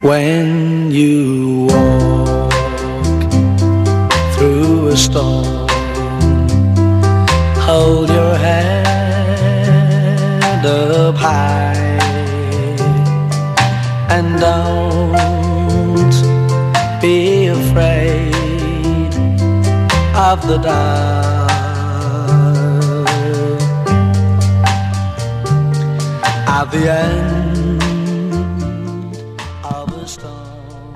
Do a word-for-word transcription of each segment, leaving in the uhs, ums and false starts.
When you walk through a storm, hold your head up high and don't be afraid of the dark. At the end of the storm,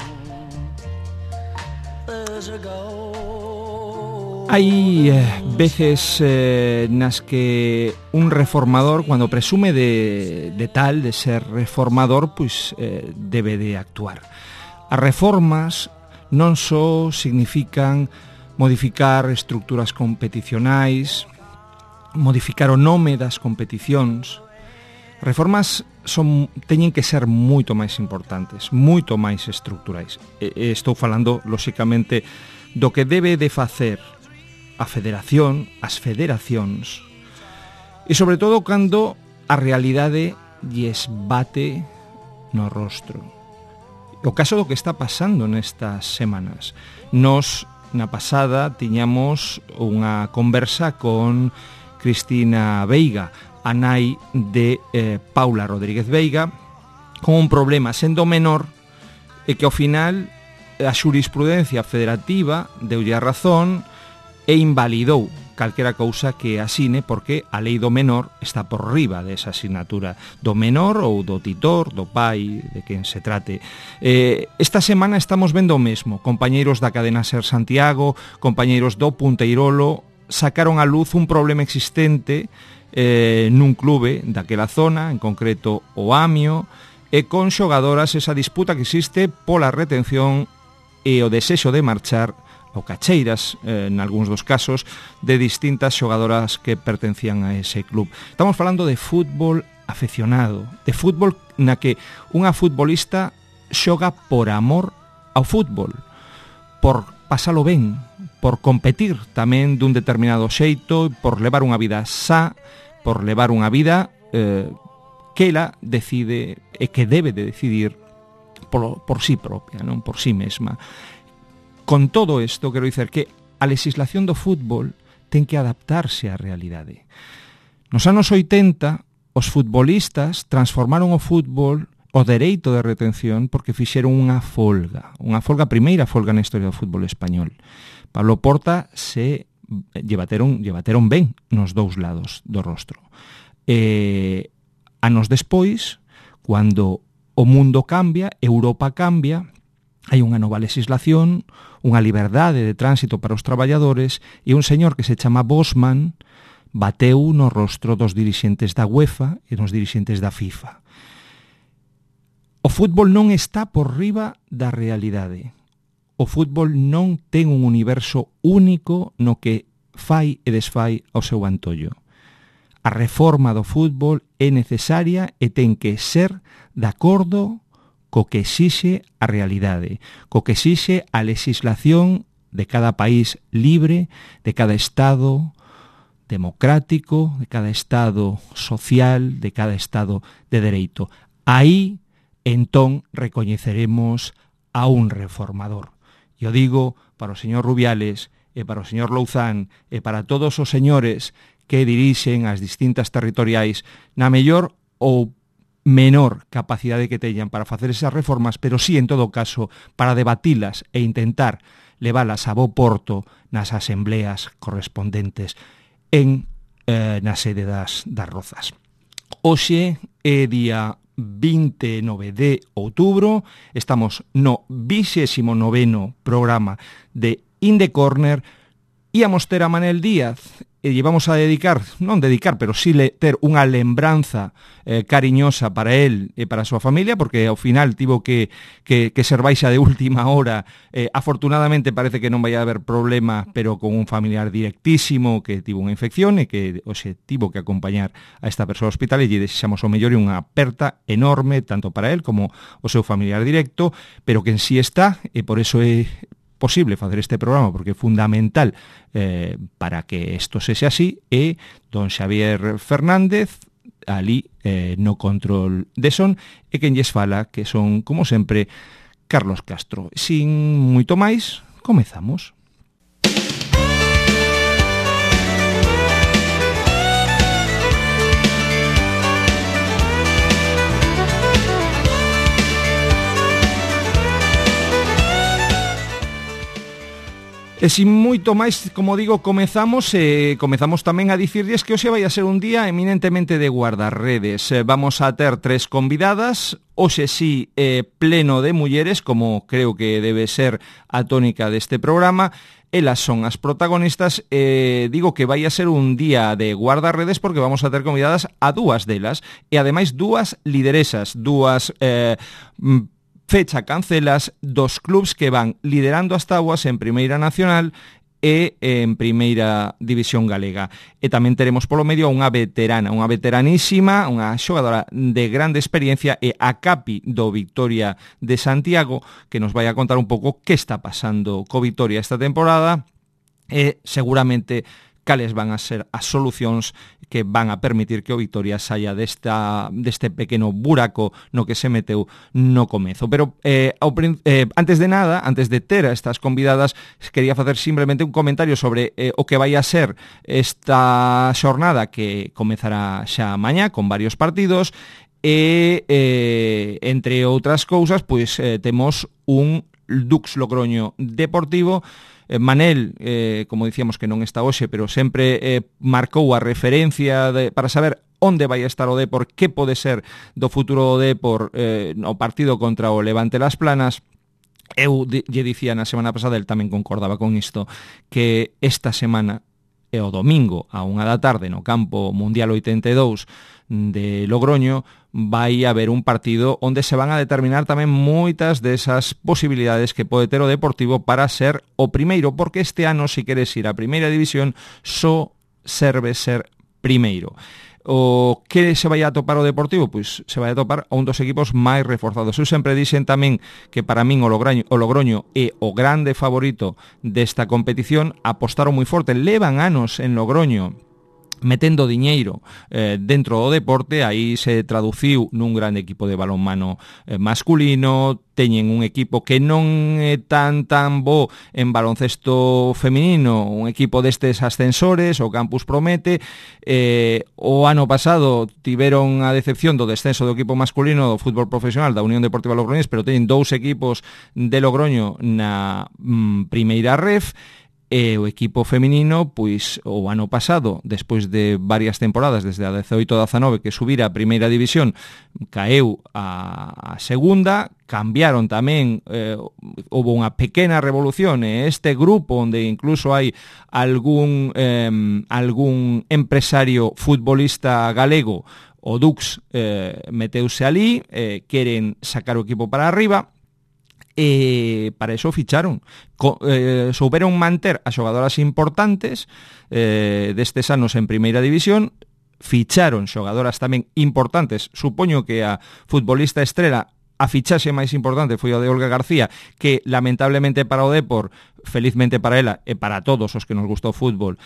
there's a goal. Hai eh, veces eh, nas que un reformador, cuando presume de, de tal, de ser reformador, pois eh, debe de actuar. As reformas non só significan modificar estructuras competicionais, modificar o nome das competicións. Reformas son, teñen que ser moito máis importantes, moito máis estructurais. E, e estou falando, lóxicamente, do que debe de facer a federación, as federacións, e sobre todo cando a realidade lles bate no rostro. O caso do que está pasando nestas semanas. Nos, na pasada, tiñamos unha conversa con Cristina Veiga, a nai de eh, Paula Rodríguez Veiga, con un problema sendo menor e que ao final a xurisprudencia federativa deulle a razón e invalidou calquera cousa que asine, porque a lei do menor está por riba desa asignatura do menor ou do titor, do pai, de quen se trate. Eh, esta semana estamos vendo o mesmo. Compañeiros da cadena Ser Santiago, compañeiros do Punteirolo, sacaron a luz un problema existente eh, nun clube daquela zona, en concreto o Amio, e con xogadoras esa disputa que existe pola retención e o desexo de marchar ou cacheiras, eh, en algúns dos casos, de distintas xogadoras que pertencían a ese club. Estamos falando de fútbol afeccionado, de fútbol na que unha futbolista xoga por amor ao fútbol, por pasalo ben, por competir tamén dun determinado xeito, por levar unha vida xa, por levar unha vida eh, que ela decide e que debe de decidir por, por sí propia, non por sí mesma. Con todo isto, quero dicer que a legislación do fútbol ten que adaptarse á realidade. Nos anos oitenta, os futbolistas transformaron o fútbol, o dereito de retención, porque fixeron unha folga, unha folga, a primeira folga na historia do fútbol español. Pablo Porta se llevateron, llevateron ben nos dous lados do rostro. E, anos despois, cando o mundo cambia, Europa cambia, hai unha nova legislación, unha liberdade de tránsito para os traballadores, e un señor que se chama Bosman bateu no rostro dos dirixentes da UEFA e dos dirixentes da FIFA. O fútbol non está por riba da realidade. O fútbol non ten un universo único no que fai e desfai ao seu antollo. A reforma do fútbol é necesaria e ten que ser de acordo co que exixe a realidade, co que exixe a legislación de cada país libre, de cada Estado democrático, de cada Estado social, de cada Estado de dereito. Aí, entón, recoñeceremos a un reformador. Eu digo para o señor Rubiales e para o señor Louzán e para todos os señores que dirixen as distintas territoriais na mellor ou menor capacidade que teñan para facer esas reformas, pero sí, en todo caso, para debatilas e intentar leválas a bo porto nas asembleas correspondentes en eh, na sede das, das Rozas. Hoxe é día vinte e nove de outubro, estamos no vixésimo noveno programa de In the Corner, íamos ter a Manel Díaz e llevamos a dedicar, non dedicar, pero sí le, ter unha lembranza eh, cariñosa para él e para a súa familia, porque ao final tivo que, que, que ser baixa de última hora. Eh, afortunadamente parece que non vai haber problema, pero con un familiar directísimo que tivo unha infección e que oxe, tivo que acompañar a esta persoa ao hospital, e lle desexamos o mellor e unha aperta enorme, tanto para él como o seu familiar directo, pero que en sí está, e por eso é posible facer este programa, porque é fundamental eh, para que isto sexa así, e don Xavier Fernández, ali eh, no control de son, e quen lles fala, que son, como sempre, Carlos Castro. Sin moito máis, comezamos. E sin moito máis, como digo, comezamos e comezamos tamén a dicirlles que hoxe vai a ser un día eminentemente de guardarredes. Vamos a ter tres convidadas, hoxe sí eh, pleno de mulleres, como creo que debe ser a tónica deste programa. Elas son as protagonistas. Eh, digo que vai a ser un día de guardarredes porque vamos a ter convidadas a dúas delas e ademais dúas lideresas, dúas eh, fecha cancelas dos clubs que van liderando as táboas en Primeira Nacional e en Primeira División Galega. E tamén teremos polo medio unha veterana, unha veteranísima, unha xogadora de grande experiencia e a capi do Vitoria de Santiago, que nos vai a contar un pouco que está pasando co Vitoria esta temporada e seguramente cales van a ser as solucións que van a permitir que o Vitoria saia desta, deste pequeno buraco no que se meteu no comezo. Pero eh, ao, eh, antes de nada, antes de ter a estas convidadas, quería facer simplemente un comentario sobre eh, o que vai a ser esta xornada que comezará xa mañá con varios partidos e, eh, entre outras cousas, pois eh, temos un Dux Logroño Deportivo. Manel, eh, como dicíamos que non está hoxe, pero sempre eh, marcou a referencia de, para saber onde vai estar o Depor, que pode ser do futuro do Depor eh, no partido contra o Levante Las Planas. Eu lle dicía na semana pasada, el tamén concordaba con isto, que esta semana e o domingo a unha da tarde no campo Mundial oitenta e dous de Logroño vai haber un partido onde se van a determinar tamén moitas desas posibilidades que pode ter o Deportivo para ser o primeiro, porque este ano, se queres ir a Primeira División, só serve ser primeiro. O que se vai a topar o Deportivo? Pois se vai a topar a un dos equipos máis reforzados. Eu sempre dixen tamén que para min o Logroño, o Logroño é o grande favorito desta competición. Apostaron moi forte, levan anos en Logroño metendo diñeiro eh, dentro do deporte. Aí se traduciu nun grande equipo de balonmano eh, masculino. Teñen un equipo que non é tan tan bo en baloncesto feminino, un equipo destes ascensores, o Campus promete. Eh, o ano pasado tiveron a decepción do descenso do equipo masculino do fútbol profesional da Unión Deportiva Logroñés, pero teñen dous equipos de Logroño na mm, primeira ref. E o equipo feminino, pois o ano pasado, despois de varias temporadas, desde a dezaoito a dezanove, que subira a primeira división, caeu a, a segunda. Cambiaron tamén, eh, houve unha pequena revolución e este grupo onde incluso hai algún eh, algún empresario futbolista galego, o Dux, eh, meteuse ali, eh, queren sacar o equipo para arriba. E para eso ficharon. Co, eh, souberon manter a xogadoras importantes eh, destes anos en Primeira División, ficharon xogadoras tamén importantes. Supoño que a futbolista estrela, a fichaxe máis importante foi o de Olga García, que lamentablemente para o Depor, felizmente para ela e para todos os que nos gustou o fútbol,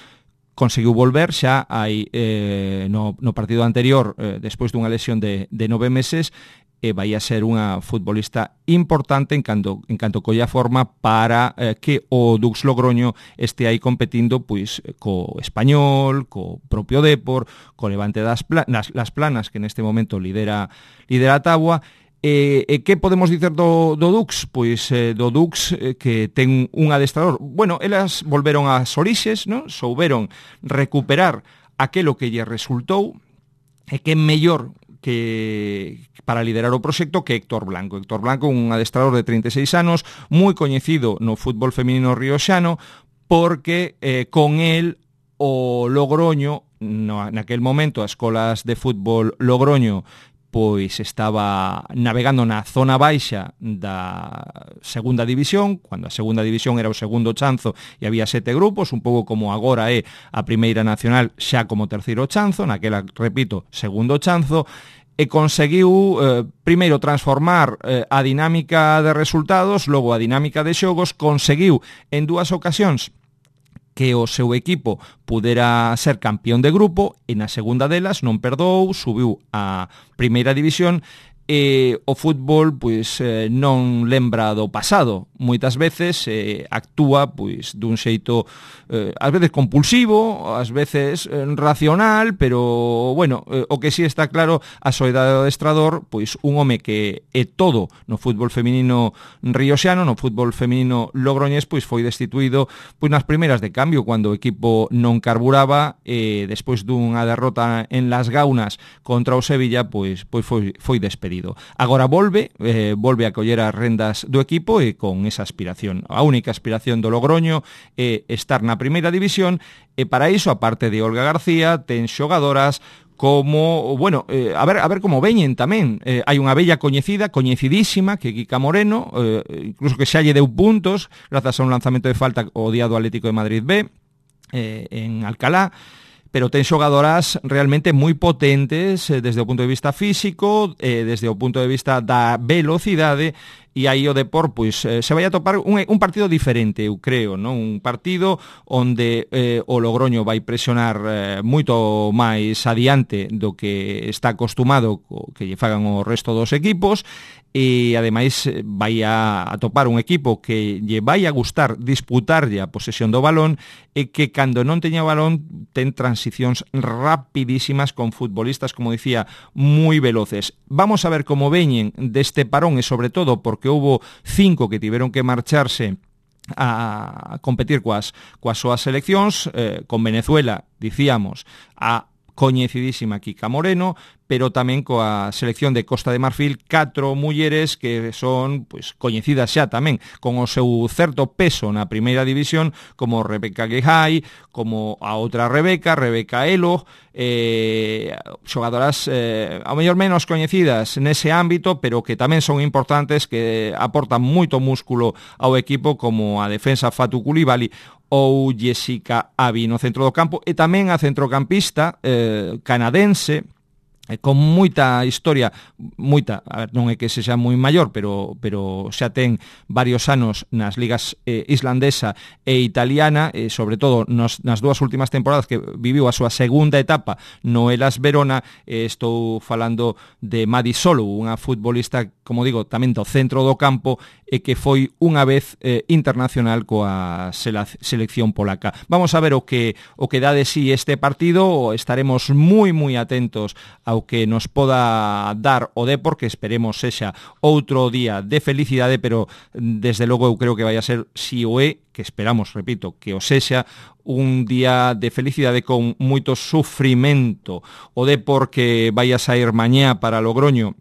conseguiu volver xa hai eh, no, no partido anterior, eh, despois dunha lesión de, de nove meses, e vai a ser unha futbolista importante en canto, en canto colla forma para eh, que o Dux Logroño este aí competindo pois co Español, co propio Depor, co Levante das Planas, las Planas, que neste momento lidera lidera a táboa. E, e que podemos dicer do, do Dux? Pois eh, do Dux eh, que ten un adestrador. Bueno, elas volveron ás orixes, non? Souberon recuperar aquelo que lle resultou, e que mellor que para liderar o proxecto que Héctor Blanco. Héctor Blanco, un adestrador de trinta e seis anos, moi coñecido no fútbol feminino rioxano, porque eh, con el o Logroño, no, naquel momento as escolas de fútbol Logroño pois estaba navegando na zona baixa da segunda división, cando a segunda división era o segundo chanzo e había sete grupos, un pouco como agora é a Primeira Nacional xa como terceiro chanzo, naquela, repito, segundo chanzo, e conseguiu eh, primeiro transformar eh, a dinámica de resultados, logo a dinámica de xogos, conseguiu en dúas ocasións que o seu equipo pudera ser campeón de grupo e na segunda delas non perdou, subiu a primeira división e o fútbol pois eh, non lembra do pasado. Moitas veces eh, actúa pois dun xeito eh, ás veces compulsivo, ás veces eh, racional, pero bueno, eh, o que si sí está claro a soidade do adestrador, pois un home que é todo no fútbol feminino rioxano, no fútbol feminino logroñés, pois foi destituído pois nas primeiras de cambio cando o equipo non carburaba e despois dunha derrota en Las Gaunas contra o Sevilla, pois pois foi foi despedido. Agora volve, eh, volve a coller as rendas do equipo e con esa aspiración. A única aspiración do Logroño é estar na primeira división e para iso, aparte de Olga García, ten xogadoras como, bueno, eh, a ver a ver como veñen tamén. Eh, hai unha bella coñecida, coñecidísima, que é Kika Moreno, eh, incluso que xa lle deu puntos grazas a un lanzamento de falta o día do Atlético de Madrid B, eh, en Alcalá, pero ten xogadoras realmente moi potentes eh, desde o punto de vista físico, eh, desde o punto de vista da velocidade, e aí o Depor pois, eh, se vai a topar un, un partido diferente, eu creo, non? Un partido onde eh, o Logroño vai presionar eh, moito máis adiante do que está acostumado que lle fagan o resto dos equipos, e ademais vai a, a topar un equipo que lle vai a gustar disputarlle a posesión do balón e que cando non teña o balón ten transicións rapidísimas con futbolistas, como dicía, moi veloces. Vamos a ver como veñen deste parón e sobre todo porque houbo cinco que tiveron que marcharse a competir coas, coas súas seleccións, eh, con Venezuela, dicíamos, a coñecidísima Kika Moreno, pero tamén coa selección de Costa de Marfil, catro mulleres que son pois coñecidas xa tamén, con o seu certo peso na primeira división, como Rebeca Guejai, como a outra Rebeca, Rebeca Elo, eh, xogadoras eh, ao mellor menos coñecidas nese ámbito, pero que tamén son importantes, que aportan moito músculo ao equipo, como a defensa Fatu Coulibaly ou Jessica Avi no centro do campo, e tamén a centrocampista eh, canadense, con moita historia, moita, a ver, non é que sexa moi maior, pero pero xa ten varios anos nas ligas eh, islandesa e italiana, e sobre todo nos, nas dúas últimas temporadas que viviu a súa segunda etapa no Hellas Verona. eh, estou falando de Madi Solo, unha futbolista, como digo, tamén do centro do campo, e que foi unha vez eh, internacional coa selección polaca. Vamos a ver o que o que dá de sí este partido, estaremos moi moi atentos ao que nos poda dar o Depor, que esperemos sexa outro día de felicidade, pero desde logo eu creo que vai a ser, si o é, que esperamos, repito, que o sexa, un día de felicidade con moito sufrimento. O Depor que vai a sair mañá para Logroño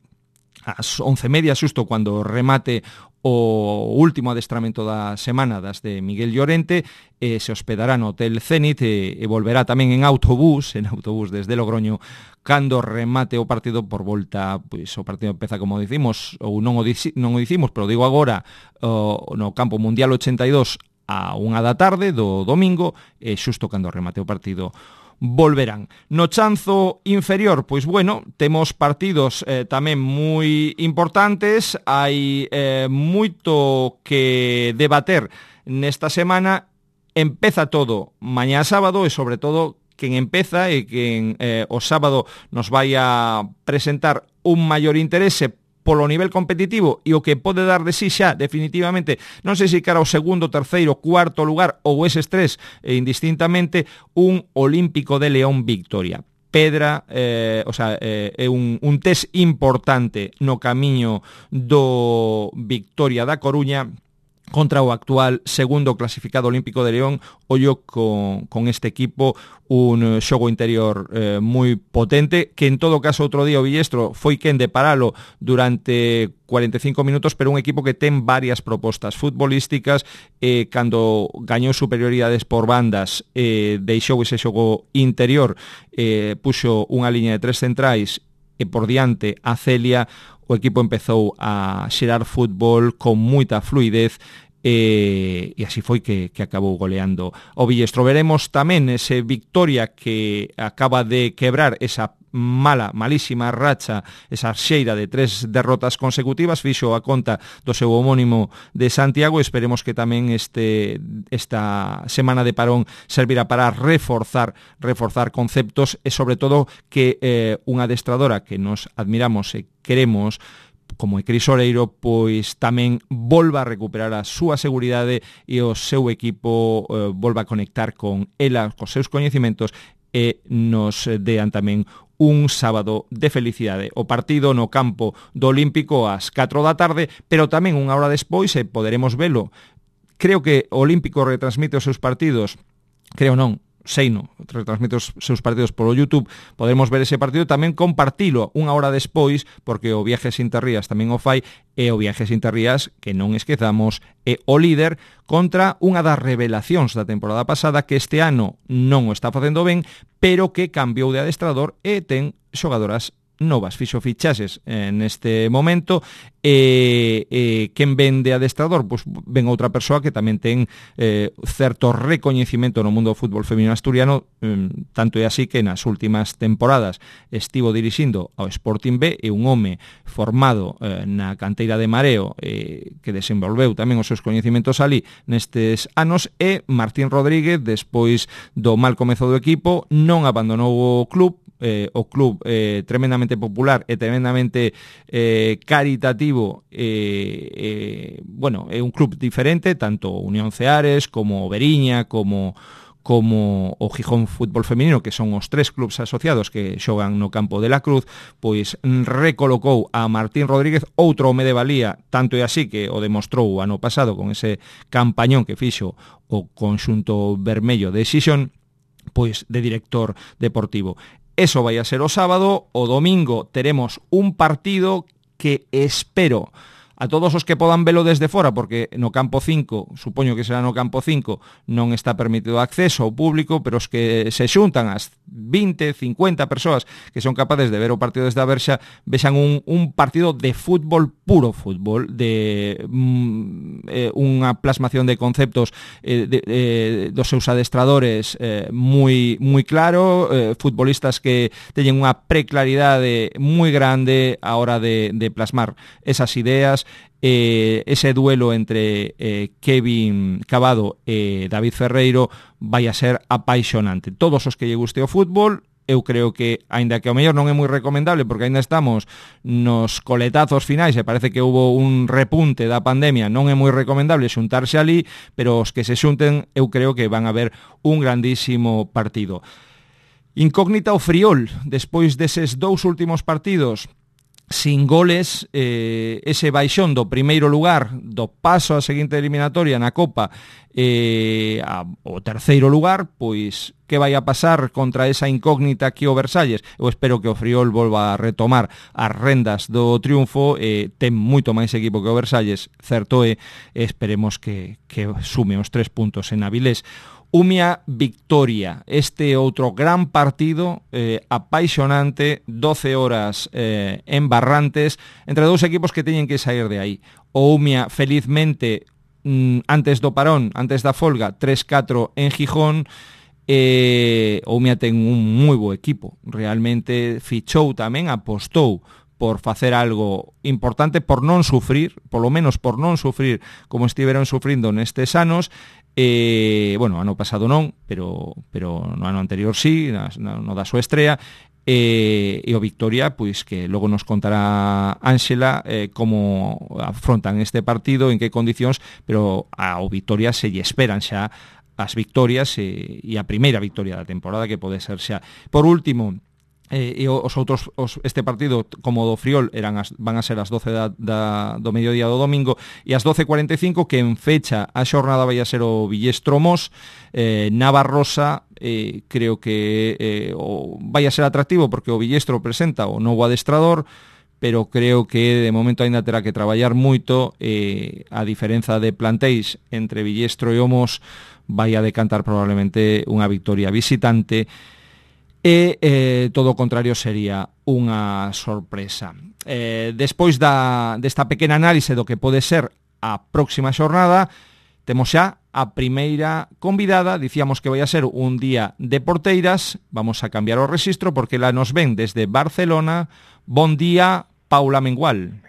ás once e media, xusto cando remate o último adestramento da semana das de Miguel Llorente, eh, se hospedará no Hotel Zenit e, e volverá tamén en autobús, en autobús desde Logroño, cando remate o partido por volta, pois o partido empeza, como dicimos, ou non o, dici, non o dicimos, pero digo agora, o, no Campo Mundial ochenta e dous a unha da tarde do domingo, e xusto cando remate o partido volverán. No chanzo inferior, pois bueno, temos partidos eh, tamén moi importantes, hai eh, moito que debater nesta semana. Empeza todo mañá sábado e sobre todo quen empeza e quen eh, o sábado nos vai a presentar un maior interese polo nivel competitivo e o que pode dar de sí xa definitivamente, non sei se cara ao segundo, terceiro, cuarto lugar ou eses tres, e indistintamente, un Olímpico de León Victoria. Pedra, eh, o sea, eh, é un, un test importante no camiño do Victoria da Coruña contra o actual segundo clasificado Olímpico de León. Ollo con, con este equipo, un xogo interior eh, moi potente, que en todo caso outro día o Villestro foi quen de paralo durante cuarenta e cinco minutos, pero un equipo que ten varias propostas futbolísticas, eh, cando gañou superioridades por bandas, eh, deixou ese xogo interior, eh, puxo unha liña de tres centrais e por diante a Celia. O equipo empezou a xerar fútbol con moita fluidez, e, e así foi que, que acabou goleando o Villestro. Veremos tamén ese Victoria que acaba de quebrar esa mala, malísima racha, esa xeira de tres derrotas consecutivas, fixo a conta do seu homónimo de Santiago. Esperemos que tamén este esta semana de parón servirá para reforzar reforzar conceptos e sobre todo que eh, unha adestradora que nos admiramos e queremos como é Cris Oreiro, pois tamén volva a recuperar a súa seguridade e o seu equipo eh, volva a conectar con ela, cos seus coñecimentos e nos dean tamén un sábado de felicidade. O partido no campo do Olímpico ás catro da tarde, pero tamén unha hora despois e poderemos velo. Creo que o Olímpico retransmite os seus partidos, creo non, sei no, retransmite os seus partidos polo YouTube, poderemos ver ese partido, tamén compartilo unha hora despois, porque o Viajes Interrías tamén o fai, e o Viajes Interrías, que non esquezamos, é o líder contra unha das revelacións da temporada pasada, que este ano non o está facendo ben, pero que cambiou de adestrador e ten xogadoras novas, fixo fichaxes en este momento e, e quen ven de adestrador, pois ven outra persoa que tamén ten eh, certo recoñecimento no mundo do fútbol feminino asturiano, eh, tanto é así que nas últimas temporadas estivo dirixindo ao Sporting B, e un home formado eh, na canteira de Mareo eh, que desenvolveu tamén os seus coñecimentos ali nestes anos, e Martín Rodríguez, despois do mal comezo do equipo, non abandonou o club. Eh, o club eh, tremendamente popular e tremendamente eh, caritativo, eh, eh, bueno, é un club diferente, tanto Unión Ceares como Veriña como como o Gijón Fútbol Feminino, que son os tres clubs asociados que xogan no campo de la Cruz, pois recolocou a Martín Rodríguez, outro home de valía, tanto é así que o demostrou o ano pasado con ese campañón que fixo o conxunto vermello de Xixón, pois de director deportivo. Eso vai a ser o sábado. O domingo teremos un partido que espero a todos os que podan velo desde fora, porque no campo cinco, supoño que será no campo cinco, non está permitido acceso ao público, pero os que se xuntan as vinte, cincuenta persoas que son capaces de ver o partido desde a Verxa, vexan un, un partido de fútbol, puro fútbol, de mm, eh, unha plasmación de conceptos eh, de, eh, dos seus adestradores eh, moi moi claro, eh, futbolistas que teñen unha preclaridade moi grande a hora de, de plasmar esas ideas. Eh, ese duelo entre eh, Kevin Cavado e David Ferreiro vai a ser apaixonante. Todos os que lle guste o fútbol, eu creo que, aínda que ao mellor non é moi recomendable, porque aínda estamos nos coletazos finais e parece que houve un repunte da pandemia, non é moi recomendable xuntarse ali, pero os que se xunten eu creo que van a ver un grandísimo partido. Incógnita o Friol, despois deses dous últimos partidos sin goles, eh, ese baixón do primeiro lugar, do paso á seguinte eliminatoria na Copa, eh, a, o terceiro lugar, pois que vai a pasar contra esa incógnita aquí o Versalles? Eu espero que o Friol volva a retomar as rendas do triunfo, eh, ten moito máis equipo que o Versalles, certo é, e esperemos que, que sume os tres puntos en Avilés. Umia Victoria, este outro gran partido eh, apaixonante, doce horas eh, en Barrantes, entre dous equipos que teñen que sair de aí. O Umia, felizmente, mm, antes do parón, antes da folga, tres catro en Gijón, e o Umia ten un moi bo equipo, realmente fichou tamén, apostou por facer algo importante, por non sufrir, polo menos por non sufrir como estiveron sufrindo nestes anos. Eh, bueno, ano pasado non, pero pero no ano anterior sí, no, no da súa estrea, eh, e o Victoria, pois que logo nos contará Ángela eh, como afrontan este partido, en que condicións, pero ao Victoria se lle esperan xa as victorias e, e a primeira victoria da temporada, que pode ser xa. Por último, Eh, e os outros, os, este partido como do Friol eran as, van a ser as doce da, da, do mediodía do domingo, e as doce e cuarenta e cinco que en fecha a xornada vai a ser o Villestro Mos, eh, Navarrosa. Eh, creo que eh, o, vai a ser atractivo porque o Villestro presenta o novo adestrador, pero creo que de momento ainda terá que traballar moito, eh, a diferenza de plantéis entre Villestro e o Mos vai a decantar probablemente unha victoria visitante. E eh, todo o contrario sería unha sorpresa. Eh, despois da, desta pequena análise do que pode ser a próxima xornada, temos xa a primeira convidada. Dicíamos que vai a ser un día de porteiras. Vamos a cambiar o rexistro porque la nos ven desde Barcelona. Bon día, Paula Mengual.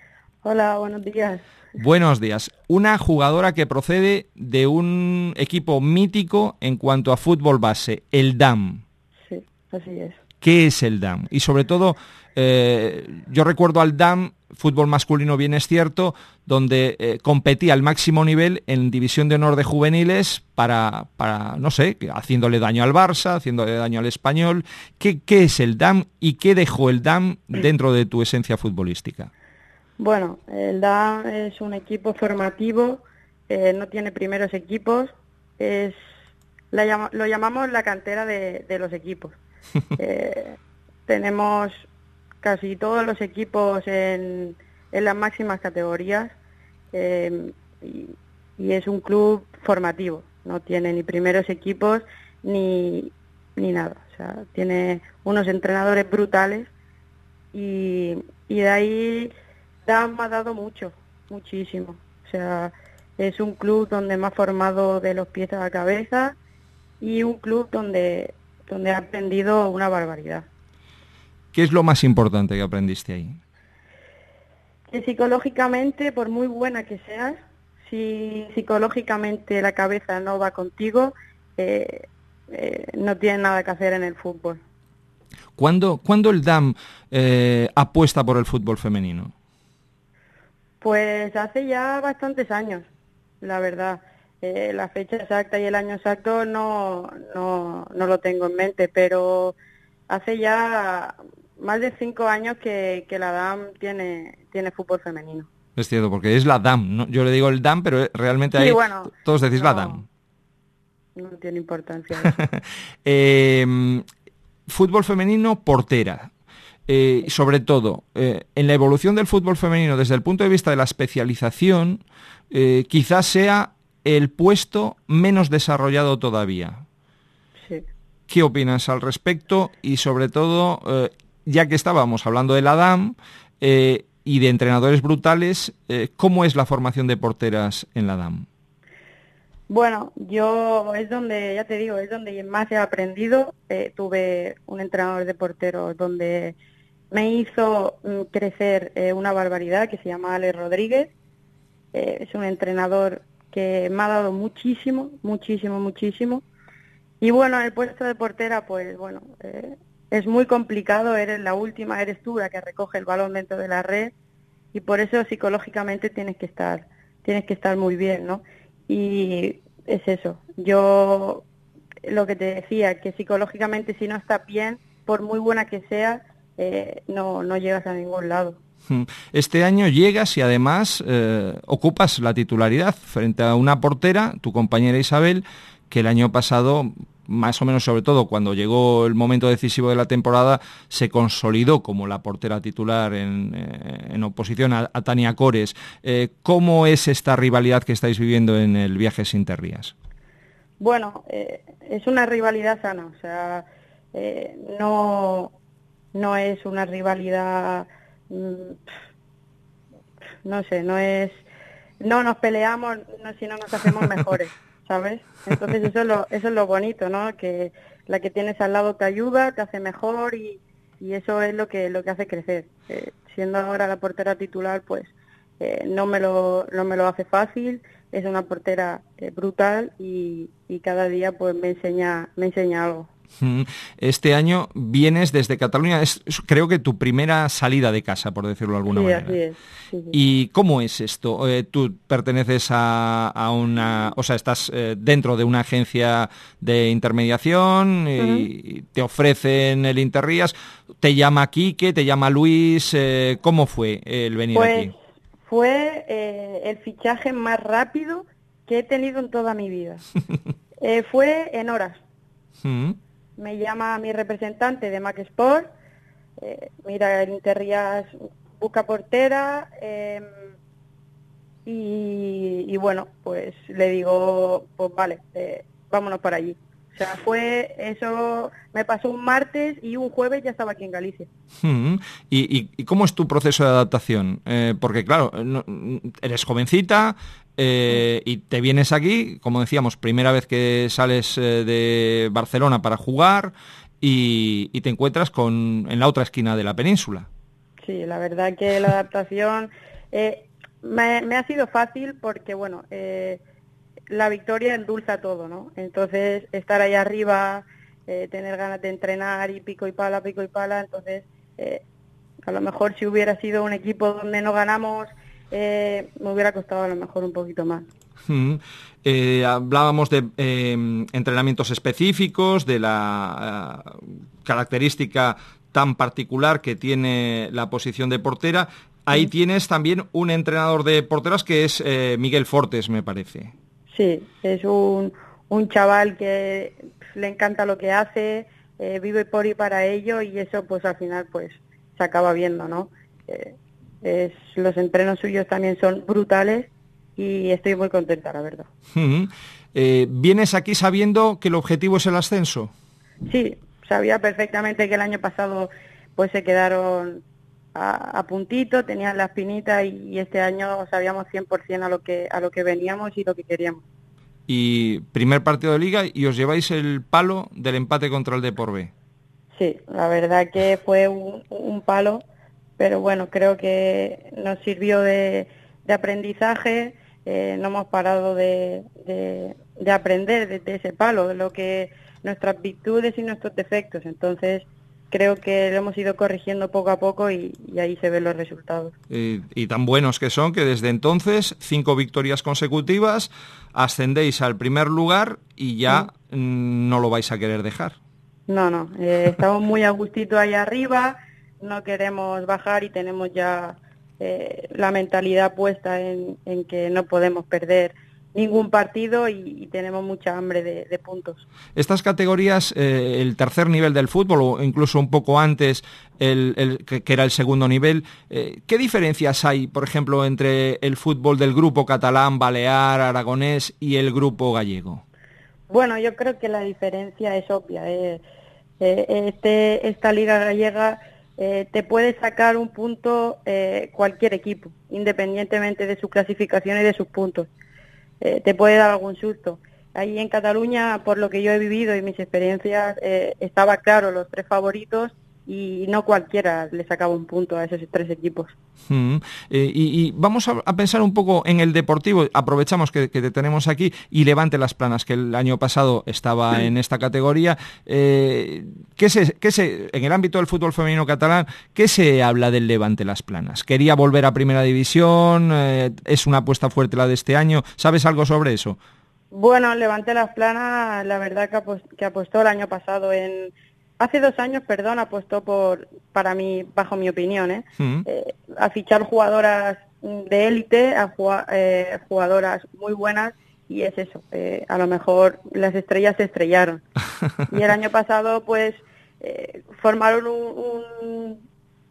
Hola, buenos días. Buenos días. Una jugadora que procede de un equipo mítico en cuanto a fútbol base, el D A M. Sí, así es. ¿Qué es el D A M? Y sobre todo, eh, yo recuerdo al D A M, fútbol masculino bien es cierto, donde eh, competía al máximo nivel en División de Honor de Juveniles para, para, no sé, haciéndole daño al Barça, haciéndole daño al Español. ¿Qué, qué es el D A M y qué dejó el D A M dentro de tu esencia futbolística? Bueno, el D A M es un equipo formativo, eh, no tiene primeros equipos, es la llama, lo llamamos la cantera de, de los equipos. eh, tenemos casi todos los equipos en, en las máximas categorías eh, y, y es un club formativo, no tiene ni primeros equipos ni, ni nada, o sea, tiene unos entrenadores brutales y, y de ahí D A M me ha dado mucho, muchísimo, o sea, es un club donde me ha formado de los pies a la cabeza y un club donde, donde he aprendido una barbaridad. ¿Qué es lo más importante que aprendiste ahí? Que psicológicamente, por muy buena que seas, si psicológicamente la cabeza no va contigo, eh, eh, no tienes nada que hacer en el fútbol. ¿Cuándo, ¿cuándo el D A M eh, apuesta por el fútbol femenino? Pues hace ya bastantes años, la verdad. Eh, la fecha exacta y el año exacto no, no, no lo tengo en mente, pero hace ya más de cinco años que, que la D A M tiene, tiene fútbol femenino. Es cierto, porque es la D A M, ¿no? Yo le digo el D A M, pero realmente sí, ahí bueno, todos decís no, la D A M. No tiene importancia eso. eh, fútbol femenino, portera. Eh, sobre todo, eh, en la evolución del fútbol femenino desde el punto de vista de la especialización, eh, quizás sea el puesto menos desarrollado todavía. Sí. ¿Qué opinas al respecto? Y sobre todo, eh, ya que estábamos hablando de la D A M eh, y de entrenadores brutales, eh, ¿cómo es la formación de porteras en la D A M? Bueno, yo es donde, ya te digo, es donde más he aprendido. Eh, tuve un entrenador de porteros donde me hizo mm, crecer eh, una barbaridad, que se llama Alex Rodríguez. Eh, es un entrenador que me ha dado muchísimo, muchísimo, muchísimo. Y bueno, en el puesto de portera, pues bueno, eh, es muy complicado, eres la última, eres tú la que recoge el balón dentro de la red y por eso psicológicamente tienes que estar, tienes que estar muy bien, ¿no? Y es eso, yo lo que te decía, que psicológicamente si no estás bien, por muy buena que sea, eh, no, no llegas a ningún lado. Este año llegas y además eh, ocupas la titularidad frente a una portera, tu compañera Isabel, que el año pasado, más o menos sobre todo cuando llegó el momento decisivo de la temporada, se consolidó como la portera titular en, eh, en oposición a, a Tania Cores. Eh, ¿Cómo es esta rivalidad que estáis viviendo en el Viajes Interrías? Bueno, eh, es una rivalidad sana, o sea, eh, no, no es una rivalidad... no sé, no es, no nos peleamos, no, sino nos hacemos mejores, ¿sabes? Entonces eso es lo, eso es lo bonito, ¿no? Que la que tienes al lado te ayuda, te hace mejor y, y eso es lo que, lo que hace crecer. Eh, siendo ahora la portera titular, pues eh, no me lo, no me lo hace fácil, es una portera eh, brutal y, y cada día pues me enseña, me enseña algo. Este año vienes desde Cataluña, es creo que tu primera salida de casa, por decirlo de alguna sí, manera. Así es. Sí, sí. ¿Y cómo es esto? Eh, tú perteneces a, a una, o sea, estás eh, dentro de una agencia de intermediación y uh-huh. te ofrecen el Interrías, te llama Quique, te llama Luis, eh, ¿cómo fue el venir pues, aquí? Fue eh, el fichaje más rápido que he tenido en toda mi vida. eh, fue en horas. ¿Mm? Me llama mi representante de Mac Sport, eh, mira, el Interrías busca portera eh, y, y bueno, pues le digo, pues vale, eh, vámonos para allí. O sea, fue eso, me pasó un martes y un jueves ya estaba aquí en Galicia. Mm-hmm. ¿Y, y, ¿Y cómo es tu proceso de adaptación? Eh, porque claro, no, eres jovencita eh, y te vienes aquí, como decíamos, primera vez que sales eh, de Barcelona para jugar y, y te encuentras con en la otra esquina de la península. Sí, la verdad que la adaptación eh, me, me ha sido fácil porque, bueno, eh, la victoria endulza todo, ¿no? Entonces, estar ahí arriba, eh, tener ganas de entrenar y pico y pala, pico y pala, entonces, eh, a lo mejor si hubiera sido un equipo donde no ganamos, eh, me hubiera costado a lo mejor un poquito más. Mm. Eh, hablábamos de eh, entrenamientos específicos, de la uh, característica tan particular que tiene la posición de portera. Ahí sí. Tienes también un entrenador de porteras que es eh, Miguel Fortes, me parece. Sí, es un, un chaval que le encanta lo que hace, eh, vive por y para ello, y eso pues al final pues se acaba viendo, ¿no? Eh, es, los entrenos suyos también son brutales y estoy muy contenta, la verdad. Uh-huh. Eh, ¿Vienes aquí sabiendo que el objetivo es el ascenso? Sí, sabía perfectamente que el año pasado pues se quedaron a, a puntito, tenían la espinita, y, y este año sabíamos cien por ciento a lo que a lo que veníamos y lo que queríamos. Y primer partido de Liga y os lleváis el palo del empate contra el Depor B. Sí, la verdad que fue un, un palo, pero bueno, creo que nos sirvió de, de aprendizaje, eh, no hemos parado de, de, de aprender de, de ese palo, de lo que nuestras virtudes y nuestros defectos, entonces creo que lo hemos ido corrigiendo poco a poco y, y ahí se ven los resultados. Y, y tan buenos que son que desde entonces, cinco victorias consecutivas, ascendéis al primer lugar y ya sí. mm, no lo vais a querer dejar. No, no, eh, estamos muy a gustito ahí arriba, no queremos bajar y tenemos ya eh, la mentalidad puesta en, en que no podemos perder ningún partido y, y tenemos mucha hambre de, de puntos. Estas categorías, eh, el tercer nivel del fútbol o incluso un poco antes, el, el que, que era el segundo nivel, eh, ¿qué diferencias hay, por ejemplo, entre el fútbol del grupo catalán, balear, aragonés y el grupo gallego? Bueno, yo creo que la diferencia es obvia. Eh, eh, este, esta liga gallega eh, te puede sacar un punto eh, cualquier equipo, independientemente de su clasificación y de sus puntos. Eh, te puede dar algún susto. Ahí en Cataluña, por lo que yo he vivido y mis experiencias, eh, estaba claro los tres favoritos y no cualquiera le sacaba un punto a esos tres equipos. Mm, eh, y, y vamos a, a pensar un poco en el Deportivo. Aprovechamos que, que te tenemos aquí y Levante Las Planas, que el año pasado estaba sí. en esta categoría. Eh, ¿qué se, qué se, en el ámbito del fútbol femenino catalán, ¿qué se habla del Levante Las Planas? ¿Quería volver a Primera División? Eh, ¿Es una apuesta fuerte la de este año? ¿Sabes algo sobre eso? Bueno, Levante Las Planas, la verdad que, apost- que apostó el año pasado en... Hace dos años, perdón, apostó por, para mí, bajo mi opinión, ¿eh? Mm. Eh, a fichar jugadoras de élite, a jugar, eh, jugadoras muy buenas, y es eso, eh, a lo mejor las estrellas se estrellaron. Y el año pasado, pues, eh, formaron un, un,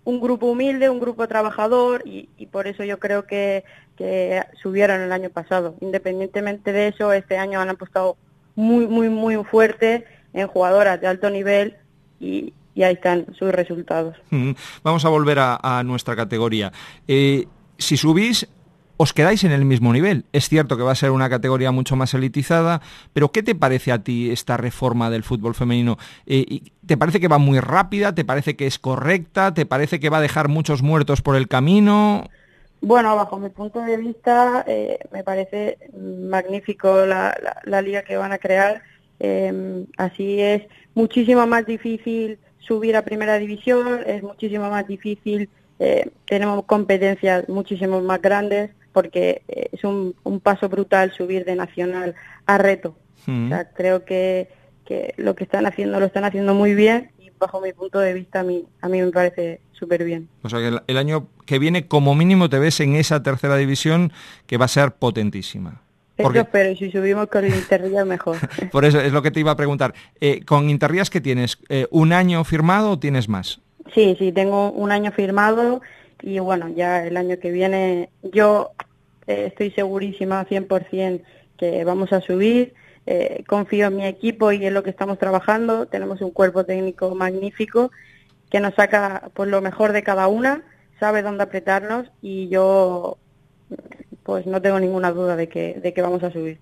un grupo humilde, un grupo trabajador, y, y por eso yo creo que, que subieron el año pasado. Independientemente de eso, este año han apostado muy, muy, muy fuerte en jugadoras de alto nivel, Y, y ahí están sus resultados. Mm, vamos a volver a, a nuestra categoría. Eh, si subís, os quedáis en el mismo nivel. Es cierto que va a ser una categoría mucho más elitizada, pero ¿qué te parece a ti esta reforma del fútbol femenino? Eh, ¿Te parece que va muy rápida? ¿Te parece que es correcta? ¿Te parece que va a dejar muchos muertos por el camino? Bueno, bajo mi punto de vista, eh, me parece magnífico la, la, la liga que van a crear. Eh, así es muchísimo más difícil subir a Primera División, es muchísimo más difícil, eh, tenemos competencias muchísimo más grandes, porque eh, es un, un paso brutal subir de nacional a reto. Mm. O sea, creo que, que lo que están haciendo lo están haciendo muy bien, y bajo mi punto de vista a mí, a mí me parece súper bien. O sea que el, el año que viene como mínimo te ves en esa Tercera División que va a ser potentísima. Porque... Eso, pero si subimos con el Interrías mejor. Por eso es lo que te iba a preguntar. Eh, ¿Con Interrías qué tienes? Eh, ¿Un año firmado o tienes más? Sí, sí, tengo un año firmado y bueno, ya el año que viene yo eh, estoy segurísima cien por ciento que vamos a subir. eh, confío en mi equipo y en lo que estamos trabajando. Tenemos un cuerpo técnico magnífico que nos saca pues lo mejor de cada una, sabe dónde apretarnos y yo pues no tengo ninguna duda de que, de que vamos a subir.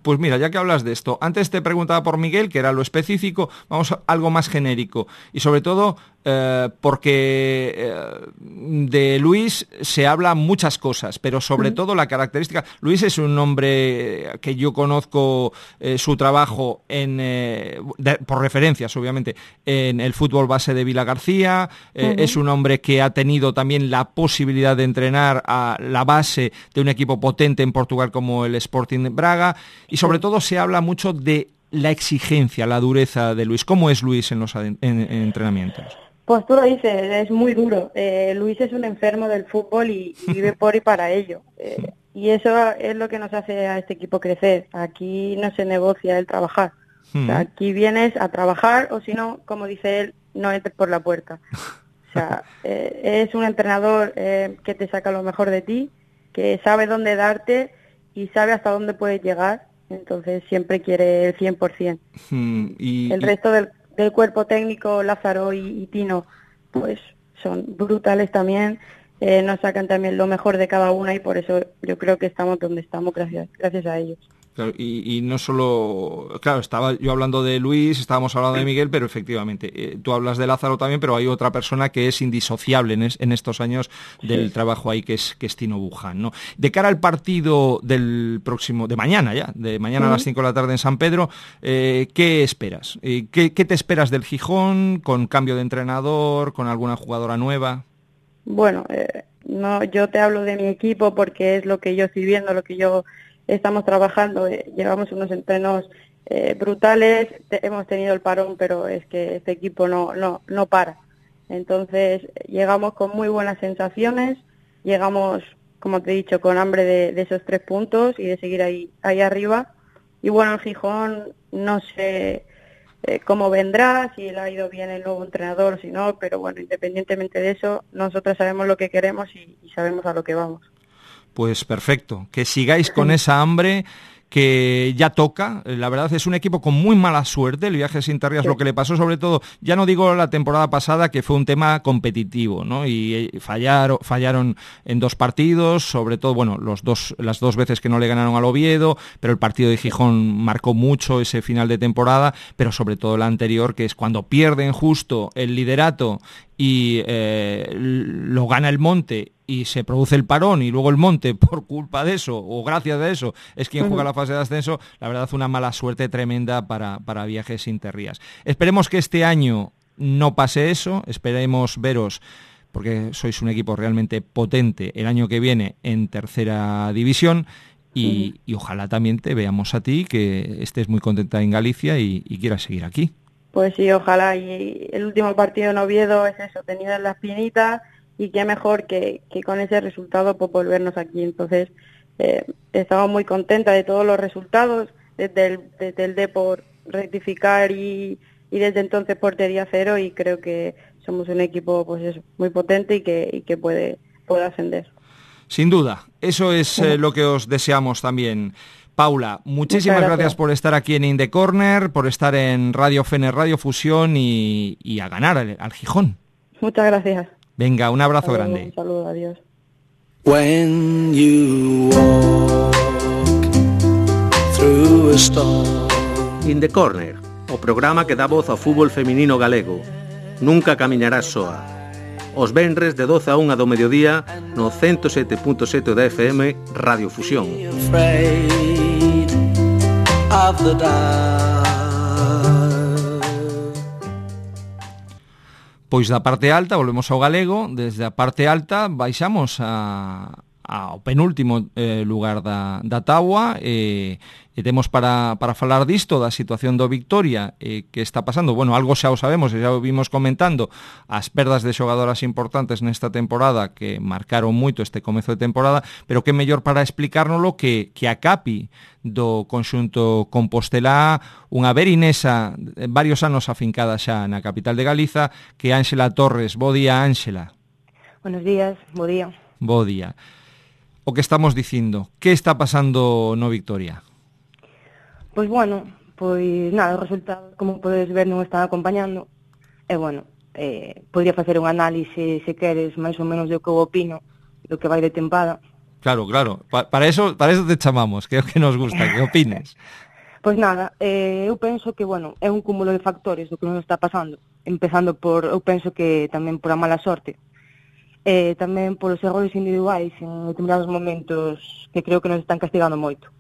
Pues mira, ya que hablas de esto, antes te preguntaba por Miguel, que era lo específico, vamos a algo más genérico. Y sobre todo eh, porque eh, de Luis se habla muchas cosas, pero sobre mm. todo la característica... Luis es un hombre que yo conozco eh, su trabajo en eh, de, por referencias, obviamente, en el fútbol base de Vilagarcía. Eh, uh-huh. Es un hombre que ha tenido también la posibilidad de entrenar a la base de un equipo potente en Portugal como el Sporting Braga. Y sobre todo se habla mucho de la exigencia, la dureza de Luis. ¿Cómo es Luis en los en, en entrenamientos? Pues tú lo dices, es muy duro. Eh, Luis es un enfermo del fútbol y, y vive por y para ello. Eh, y eso es lo que nos hace a este equipo crecer. Aquí no se negocia el trabajar. Mm. O sea, aquí vienes a trabajar o si no, como dice él, no entres por la puerta. O sea, eh, es un entrenador eh, que te saca lo mejor de ti, que sabe dónde darte y sabe hasta dónde puedes llegar, entonces siempre quiere el cien por ciento. Mm, y, el resto del, del cuerpo técnico, Lázaro y, y Tino, pues son brutales también, eh, nos sacan también lo mejor de cada una y por eso yo creo que estamos donde estamos gracias, gracias a ellos. Claro, y, y no solo, claro, estaba yo hablando de Luis, estábamos hablando de Miguel, pero efectivamente, eh, tú hablas de Lázaro también, pero hay otra persona que es indisociable en, es, en estos años del sí. trabajo ahí, que es, que es Tino Buján, ¿no? De cara al partido del próximo, de mañana ya, de mañana uh-huh. a las cinco de la tarde en San Pedro, eh, ¿qué esperas? Eh, ¿qué, ¿Qué te esperas del Gijón, con cambio de entrenador, con alguna jugadora nueva? Bueno, eh, no, yo te hablo de mi equipo porque es lo que yo estoy viendo, lo que yo... Estamos trabajando, eh, llevamos unos entrenos eh, brutales, te, hemos tenido el parón, pero es que este equipo no, no, no para. Entonces, llegamos con muy buenas sensaciones, llegamos, como te he dicho, con hambre de, de esos tres puntos y de seguir ahí, ahí arriba. Y bueno, el Gijón, no sé eh, cómo vendrá, si le ha ido bien el nuevo entrenador o si no, pero bueno, independientemente de eso, nosotros sabemos lo que queremos y, y sabemos a lo que vamos. Pues perfecto, que sigáis con esa hambre que ya toca. La verdad es un equipo con muy mala suerte, el Viajes Interrías, sí. Lo que le pasó sobre todo, ya no digo la temporada pasada, que fue un tema competitivo, ¿no? Y fallaron, fallaron en dos partidos, sobre todo, bueno, los dos, las dos veces que no le ganaron al Oviedo, pero el partido de Gijón marcó mucho ese final de temporada, pero sobre todo el anterior, que es cuando pierden justo el liderato y eh, lo gana el Monte y se produce el parón y luego el Monte, por culpa de eso o gracias a eso, es quien juega la fase de ascenso. La verdad, una mala suerte tremenda para, para Viajes Interrías. Esperemos que este año no pase eso, esperemos veros, porque sois un equipo realmente potente, el año que viene en tercera división. Y, uh-huh. y ojalá también te veamos a ti, que estés muy contenta en Galicia y, y quieras seguir aquí. Pues sí, ojalá. Y el último partido en Oviedo es eso, tenido en la espinita, y qué mejor que, que con ese resultado pues volvernos aquí. Entonces, eh, estamos muy contentas de todos los resultados, desde el, desde el Depor rectificar y, y desde entonces portería cero, y creo que somos un equipo pues eso, muy potente y que, y que puede, puede ascender. Sin duda, eso es eh, lo que os deseamos también. Paula, muchísimas gracias. gracias por estar aquí en In The Corner, por estar en Radio Fener, Radio Fusión y, y a ganar al, al Gijón. Muchas gracias. Venga, un abrazo saludo, grande. Un saludo, adiós. When you walk through a storm. In The Corner, o programa que dá voz ao fútbol feminino galego. Nunca camiñarás soa. Os venres de doce a unha do mediodía no ciento sete punto sete da F M Radio Fusión. Pois da parte alta, volvemos ao galego, desde a parte alta baixamos a, ao penúltimo eh, lugar da, da táboa e, e temos para, para falar disto, da situación do Victoria eh, que está pasando. Bueno, algo xa o sabemos e xa o vimos comentando, as perdas de xogadoras importantes nesta temporada que marcaron moito este comezo de temporada, pero que mellor para explicárnoslo que, que a Capi do conxunto compostelá, unha verinesa varios anos afincada xa na capital de Galiza, que Ánxela Torres. Bo día, Ánxela. Buenos días, bo día. Bo día. O que estamos dicindo, que está pasando no Victoria? Pois bueno, pois nada, os resultados, como podes ver, non están acompañando. E bueno, eh, podría facer un análise, se queres, máis ou menos do que eu opino, do que vai de tempada. Claro, claro, pa para eso para eso te chamamos, que é o que nos gusta, que opines. Pois nada, eh, eu penso que, bueno, é un cúmulo de factores do que nos está pasando, empezando por, eu penso que tamén por a mala sorte, eh, tamén por os errores individuais en determinados momentos que creo que nos están castigando moito.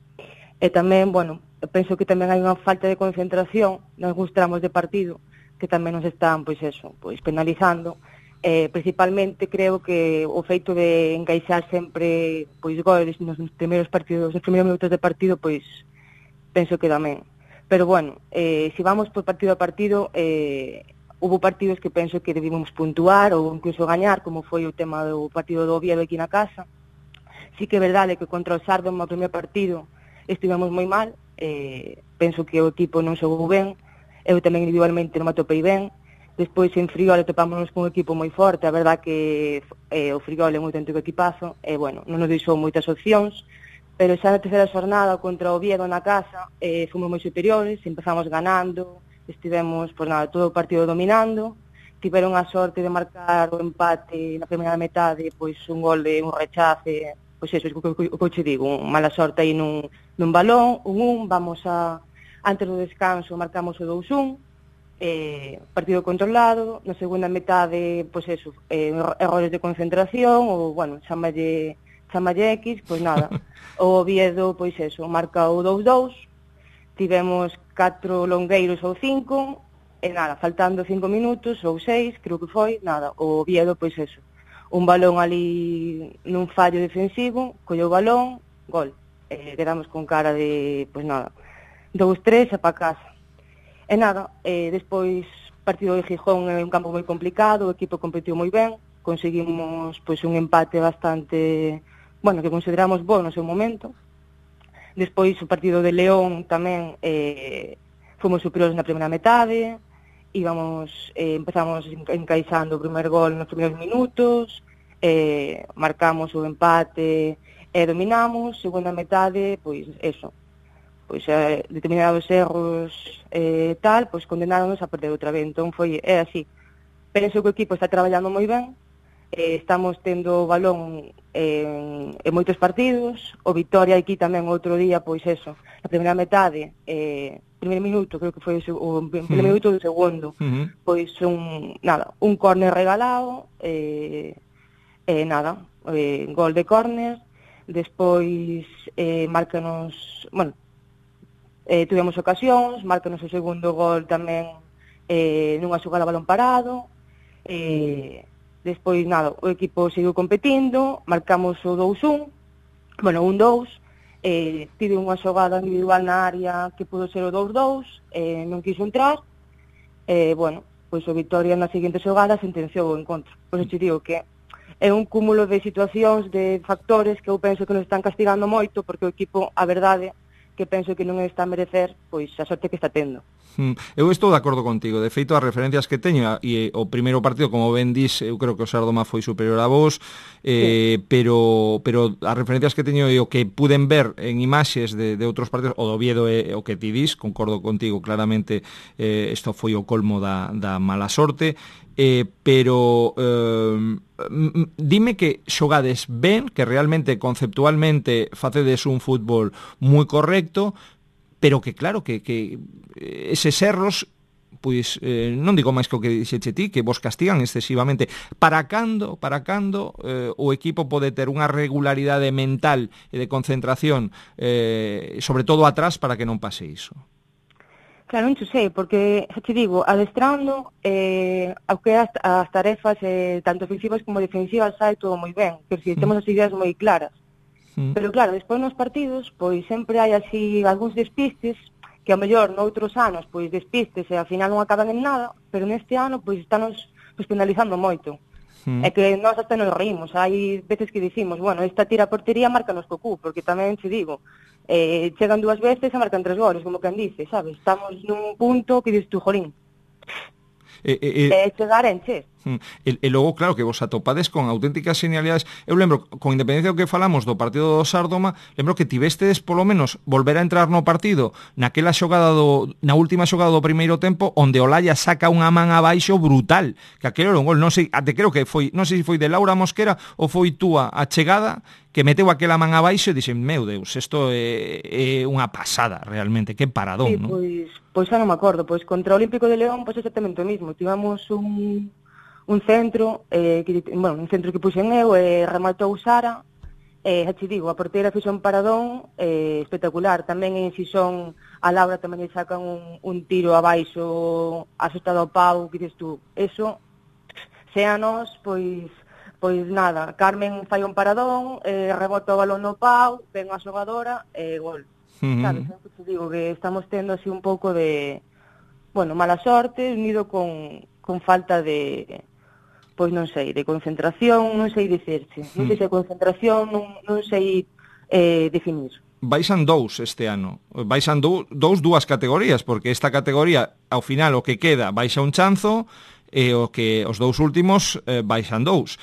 E tamén, bueno, eu penso que tamén hai unha falta de concentración nalgúns tramos de partido que tamén nos están, pois eso, pois penalizando. Eh, principalmente creo que o feito de encaixar sempre pois goles nos primeiros partidos, nos primeiros minutos de partido, pois penso que tamén. Pero bueno, eh, se vamos por partido a partido, eh, hubo partidos que penso que debimos puntuar ou incluso gañar, como foi o tema do partido do Oviedo aquí na casa. Sí que é verdade que contra o Sardo no primeiro partido estivemos moi mal, eh, penso que o equipo non xogou ben, eu tamén individualmente non me atopei ben. Despois en Friol topámonos con un equipo moi forte, a verdad que eh, o Friol é moi auténtico equipazo, e bueno, non nos deixou moitas opcións, pero xa na terceira xornada contra o Oviedo na casa eh, fomos moi superiores, empezamos ganando, estivemos, por nada, todo o partido dominando, tiveron a sorte de marcar o empate na primeira metade, pois un gol de un rechace, pois eso, o que eu che digo, un mala sorte aí nun, nun balón, un un, vamos a, antes do descanso marcamos o dous un, eh, partido controlado, na segunda metade, pois eso, eh, errores de concentración, ou, bueno, chamalle, chamalle X, pois nada, o Oviedo, pois eso, marca o dous dous, tivemos catro longueiros ou cinco, e nada, faltando cinco minutos, ou seis, creo que foi, nada, o Oviedo, pois eso, un balón ali nun fallo defensivo, colleu o balón, gol. Eh, quedamos con cara de, pois nada, dous tres e pa casa. E nada, eh, despois partido de Gijón é un campo moi complicado, o equipo competiu moi ben, conseguimos pois un empate bastante, bueno, que consideramos bo no seu momento. Despois o partido de León tamén eh, fomos superiores na primeira metade, íbamos, eh, empezamos encaixando o primer gol nos primeiros minutos, eh, marcamos o empate e dominamos, segunda metade, pois eso, pois eh, determinados erros eh, tal, pois condenáronos a perder outra vez, entón foi, é así. Penso que o equipo está traballando moi ben, eh, estamos tendo o balón en, en moitos partidos, o Vitoria aquí tamén outro día, pois eso, na primeira metade, eh, primeiro minuto, creo que foi o, o primeiro uh-huh. minuto do segundo, uh-huh. pois un, nada, un córner regalado, eh, eh, nada, eh, gol de córner, despois eh, márcanos, bueno, eh, tivemos ocasións, márcanos o segundo gol tamén eh, nunha xogada a balón parado, eh, despois nada, o equipo seguiu competindo, marcamos o dous un, bueno, un dous, Eh, tive unha xogada individual na área que pudo ser o dous dous, eh, non quiso entrar, e, eh, bueno, pois o Vitoria na seguinte xogada sentenciou o encontro. Pois eu te digo que é un cúmulo de situacións, de factores que eu penso que nos están castigando moito, porque o equipo, a verdade, que penso que non está a merecer pois a sorte que está tendo. Eu estou de acordo contigo, de feito as referencias que teño e o primeiro partido, como ben dis, eu creo que o Sardoma foi superior a vos, eh, sí. pero pero as referencias que teño e o que puden ver en imaxes de, de outros partidos, o do Oviedo é o que ti dis, concordo contigo claramente, eh, isto foi o colmo da, da mala sorte, eh, pero eh, dime que xogades ben, que realmente conceptualmente facedes un fútbol moi correcto, pero que claro, que, que eses erros, pois eh, non digo máis que o que dixeche ti, que vos castigan excesivamente. Para cando, para cando eh, o equipo pode ter unha regularidade mental e de concentración, eh, sobre todo atrás, para que non pase iso? Claro, non sei, porque, xa te digo, adestrando, eh, ao que as, as tarefas, eh, tanto ofensivas como defensivas, sai todo moi ben, que si temos as ideas moi claras. Pero claro, despois nos partidos, pois sempre hai así algúns despistes, que ao mellor noutros anos, pois despistes e ao final non acaban en nada, pero neste ano, pois estános pois, penalizando moito. Mm. É que nós hasta nos reímos, hai veces que dicimos, bueno, esta tira a portería marcanos co cu, porque tamén te digo, eh, chegan dúas veces e marcan tres goles, como quen dice, sabes? Estamos nun punto que dices tú, jolín, eh, eh, eh... eh, chegar en che. E, e logo, claro, que vos atopades con auténticas genialidades. Eu lembro, con independencia do que falamos do partido do Sárdoma, lembro que tivestedes polo menos volver a entrar no partido naquela xogada do, na última xogada do primeiro tempo, onde Olaya saca unha man abaixo brutal, que aquelo era un gol, non sei, até creo que foi, non sei se foi de Laura Mosquera ou foi túa a chegada, que meteu aquela man abaixo e dixen, meu Deus, isto é, é unha pasada realmente, que paradón, sí, non? Pois, pois xa non me acordo, pois contra o Olímpico de León, pois exactamente o mismo, tivemos un un centro, eh, que, bueno, un centro que puxen eu, e eh, rematou Sara, e eh, xa te digo, a porteira fixo un paradón eh, espectacular. Tamén en Xixón a Laura tamén lle sacan un, un tiro abaixo asustado ao pau, que dices tú, eso, se a nós, pois, pois nada, Carmen fai un paradón, eh, rebota o balón no pau, ven a xogadora, e eh, gol. Uh-huh. Sabes, xa te digo que estamos tendo así un pouco de, bueno, mala sorte, unido con, con falta de... pois non sei, de concentración, non sei dicirse. Non sei se concentración, non, non sei eh, definir. Baixan dous este ano. Baixan dous, dous dúas categorías, porque esta categoría, ao final, o que queda, baixa un chanzo, e o que os dous últimos eh, baixan dous.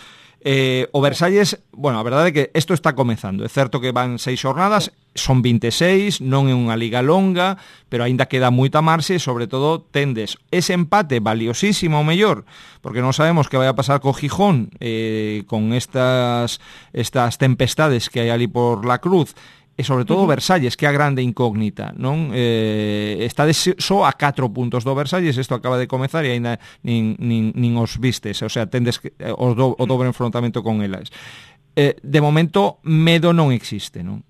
Eh, o Versalles, bueno, a verdade é que isto está comezando. É certo que van seis xornadas, son vinte e seis, non é unha liga longa, pero aínda queda moita marxe, e sobre todo tendes ese empate valiosísimo ao mellor, porque non sabemos que vai a pasar co Gijón, eh, con estas estas tempestades que hai ali por la Cruz, e sobre todo uh-huh. Versalles, que é a grande incógnita, non? Eh, está só a catro puntos do Versalles, isto acaba de comezar e aínda nin, nin, nin os vistes, o sea, tendes que, o, do, o dobre enfrontamento con elas. Eh, de momento, medo non existe, non?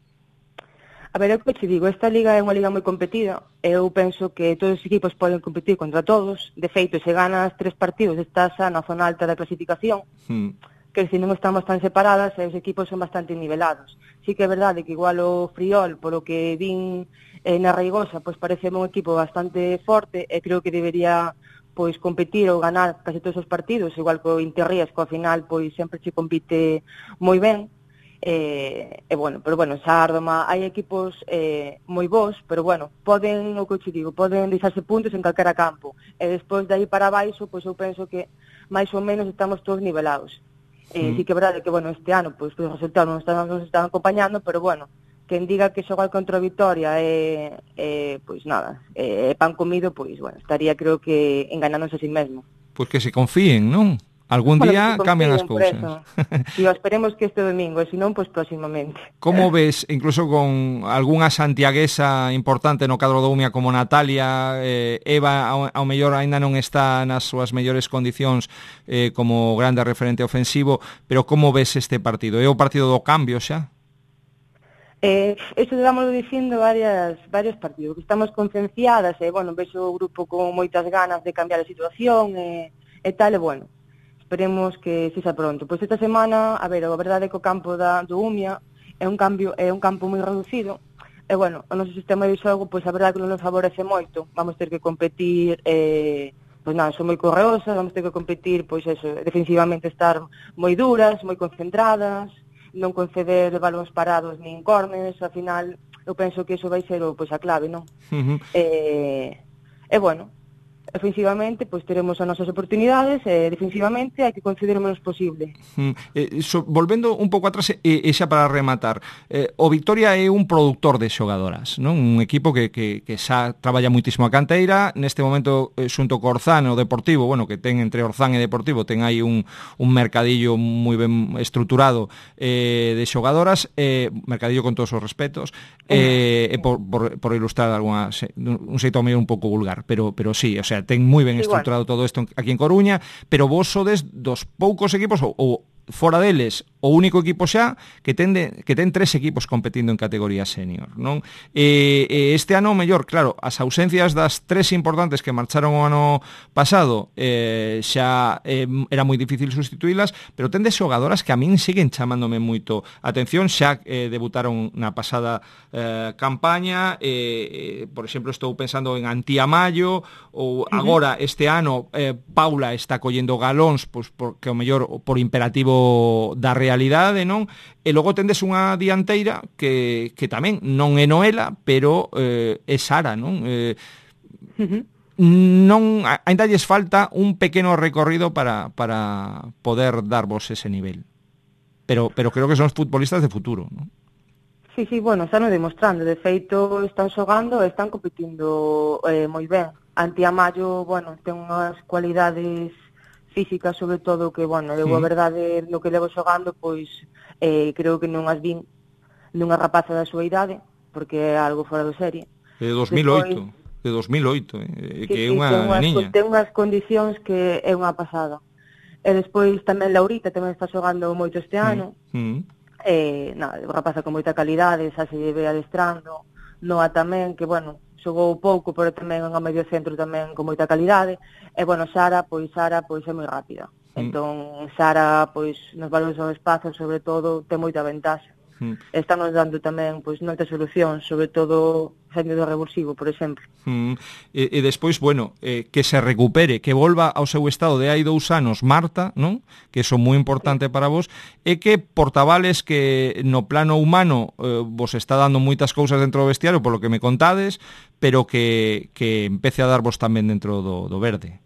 A ver, é o que te digo, esta liga é unha liga moi competida, eu penso que todos os equipos poden competir contra todos, de feito, se ganas tres partidos, estás na zona alta da clasificación, hmm. que se non estamos tan separadas, os equipos son bastante nivelados. Sí que é verdade que igual o Friol, polo que vin eh, na Reigosa, pois parece un equipo bastante forte, e creo que debería pois competir ou ganar case todos os partidos, igual que o Interrías, que ao final pois sempre se compite moi ben. E, e bueno, pero bueno, Sárdoma, hai equipos eh, moi bons, pero bueno, poden, o que te digo, poden deixarse puntos en calquera campo. E despois de aí para baixo, pois eu penso que máis ou menos estamos todos nivelados. Eh, sí. sí que é verdade que, bueno, este ano pois, pues, os resultados non están, non están acompañando, pero bueno, quen diga que xogar contra a Vitoria é, é pois nada, é, é pan comido, pois, bueno, estaría creo que enganándose a sí mesmo. Pois que se confíen, non? Algún bueno, día cambian as cousas. Si, esperemos que este domingo, e se non, pois próximamente. Como ves, incluso con algunha santiaguesa importante no cadro do Umia como Natalia, eh, Eva ao, ao mellor aínda non está nas súas mellores condicións eh, como grande referente ofensivo, pero como ves este partido? É o partido do cambio xa? Eh, eso estamos dicindo varias, varios partidos, que estamos concienciadas, e, eh, bueno, vexo o grupo con moitas ganas de cambiar a situación, e, e tal, e, bueno, esperemos que sexa pronto. Pois esta semana, a ver, a verdade é que o campo da, do Umia é un, cambio, é un campo moi reducido, e, bueno, o noso sistema de xogo, pois a verdade é que non nos favorece moito, vamos ter que competir, eh, pois nada, son moi correosas, vamos ter que competir, pois eso, defensivamente estar moi duras, moi concentradas, non conceder balóns parados nin córneres, ao final eu penso que iso vai ser o, pois, a clave, non? Uh-huh. E, e bueno, ofensivamente, pois teremos as nosas oportunidades, e defensivamente hai que conceder o menos posible. Mm, eh, so, volvendo un pouco atrás, e eh, xa para rematar, eh, o Vitoria é un produtor de xogadoras, non? Un equipo que, que, que xa traballa muitísimo a canteira, neste momento, eh, xunto co Orzán e o Deportivo, bueno, que ten entre Orzán e Deportivo, ten aí un, un mercadillo moi ben estruturado eh, de xogadoras, eh, mercadillo con todos os respetos, eh, eh, por, por, por ilustrar alguna, un xeito medio un pouco vulgar, pero, pero sí, o sea, ten moi ben estruturado todo isto aquí en Coruña, pero vos sodes dos poucos equipos, ou, ou fora deles, o único equipo xa que ten, de, que ten tres equipos competindo en categoría senior, non? E, e este ano, mellor, claro, as ausencias das tres importantes que marcharon o ano pasado eh, xa eh, era moi difícil sustituílas, pero ten de xogadoras que a min siguen chamándome moito atención, xa eh, debutaron na pasada eh, campaña, eh, eh, por exemplo, estou pensando en Antía Mayo, ou agora este ano eh, Paula está collendo galóns, pois porque o mellor por imperativo da realidade, non? E logo tendes unha dianteira que, que tamén non é Noela, pero eh, é Sara, non? Eh, uh-huh. non aínda lles falta un pequeno recorrido para, para poder darvos ese nivel. Pero, pero creo que son futbolistas de futuro, ¿no? Sí, sí, bueno, están demostrando, de feito están xogando e están competindo eh, moi ben. Anti Amayo, bueno, ten unhas cualidades físicas, sobre todo, que, bueno, eu a verdade, no que levo xogando, pois, eh, creo que non as vin nunha rapaza da súa idade, porque é algo fora de serie. De dos mil oito, Despois, de dos mil oito, eh, que é unha niña. Ten unhas condicións que é unha pasada. E despois tamén Laurita tamén está xogando moito este ano. Mm. Eh, nada, rapaza con moita calidade, xa se ve adestrando. Noa tamén, que, bueno, xogou pouco, pero tamén en medio centro tamén con moita calidade. E, bueno, Sara, pois Sara, pois é moi rápida. Mm. Entón, Sara, pois, nos valores ao espazo, sobre todo, ten moita ventaxa. Mm. Estamos dando tamén, pois, moitas solucións, sobre todo saindo do revulsivo, por exemplo. Mm. E, e despois, bueno, eh, que se recupere, que volva ao seu estado de hai dous anos Marta, non? Que iso moi importante para vos, e que Portavales, que no plano humano eh, vos está dando moitas cousas dentro do vestiario, polo que me contades, pero que, que empece a darvos tamén dentro do, do verde.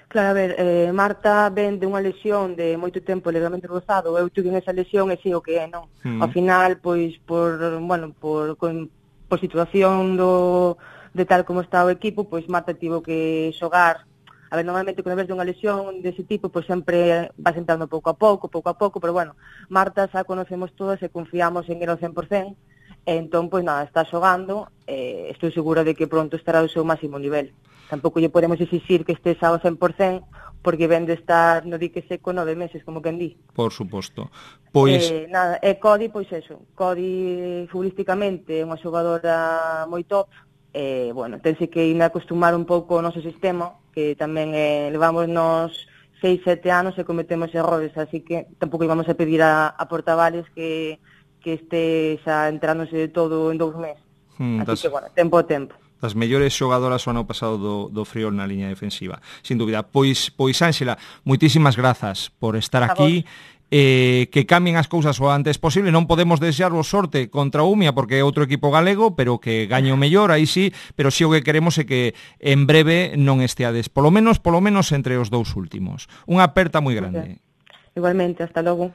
Claro, a ver, eh, Marta ven de unha lesión de moito tempo ligamento cruzado, eu tuve esa lesión e sei o que é, non? Mm. Ao final, pois, por, bueno, por, con, por situación do, de tal como está o equipo, pois Marta tivo que xogar. A ver, normalmente, cando ves de unha lesión dese tipo, pois sempre vas entrando pouco a pouco, pouco a pouco, pero bueno, Marta xa conocemos todas e confiamos en ela ao cen por cen, e entón, pois nada, está xogando, e estou segura de que pronto estará ao seu máximo nivel. Tampouco lle podemos exixir que estés ao cen por cen, porque ven de estar no dique seco nove meses, como quen di. Por suposto. Pois... Eh, nada, e Cody, pois eso, Cody futbolísticamente é unha xogadora moi top, e, bueno, tense que ir a acostumar un pouco ao noso sistema, que tamén eh, levamos nos seis, sete anos e cometemos errores, así que tampouco íbamos a pedir a, a Portavales que, que este xa entrándose de todo en dous meses. Hmm, así das... que, bueno, tempo a tempo. Das mellores xogadoras o ano pasado do, do Friol na liña defensiva, sin dúbida. Pois, pois Ánxela, moitísimas grazas por estar a aquí, eh, que cambien as cousas o antes posible. Non podemos desearvos sorte contra o Umia, porque é outro equipo galego, pero que gañe o mellor, aí sí, pero si o que queremos é que en breve non esteades, polo menos, polo menos entre os dous últimos. Unha aperta moi grande. Okay. Igualmente, hasta logo.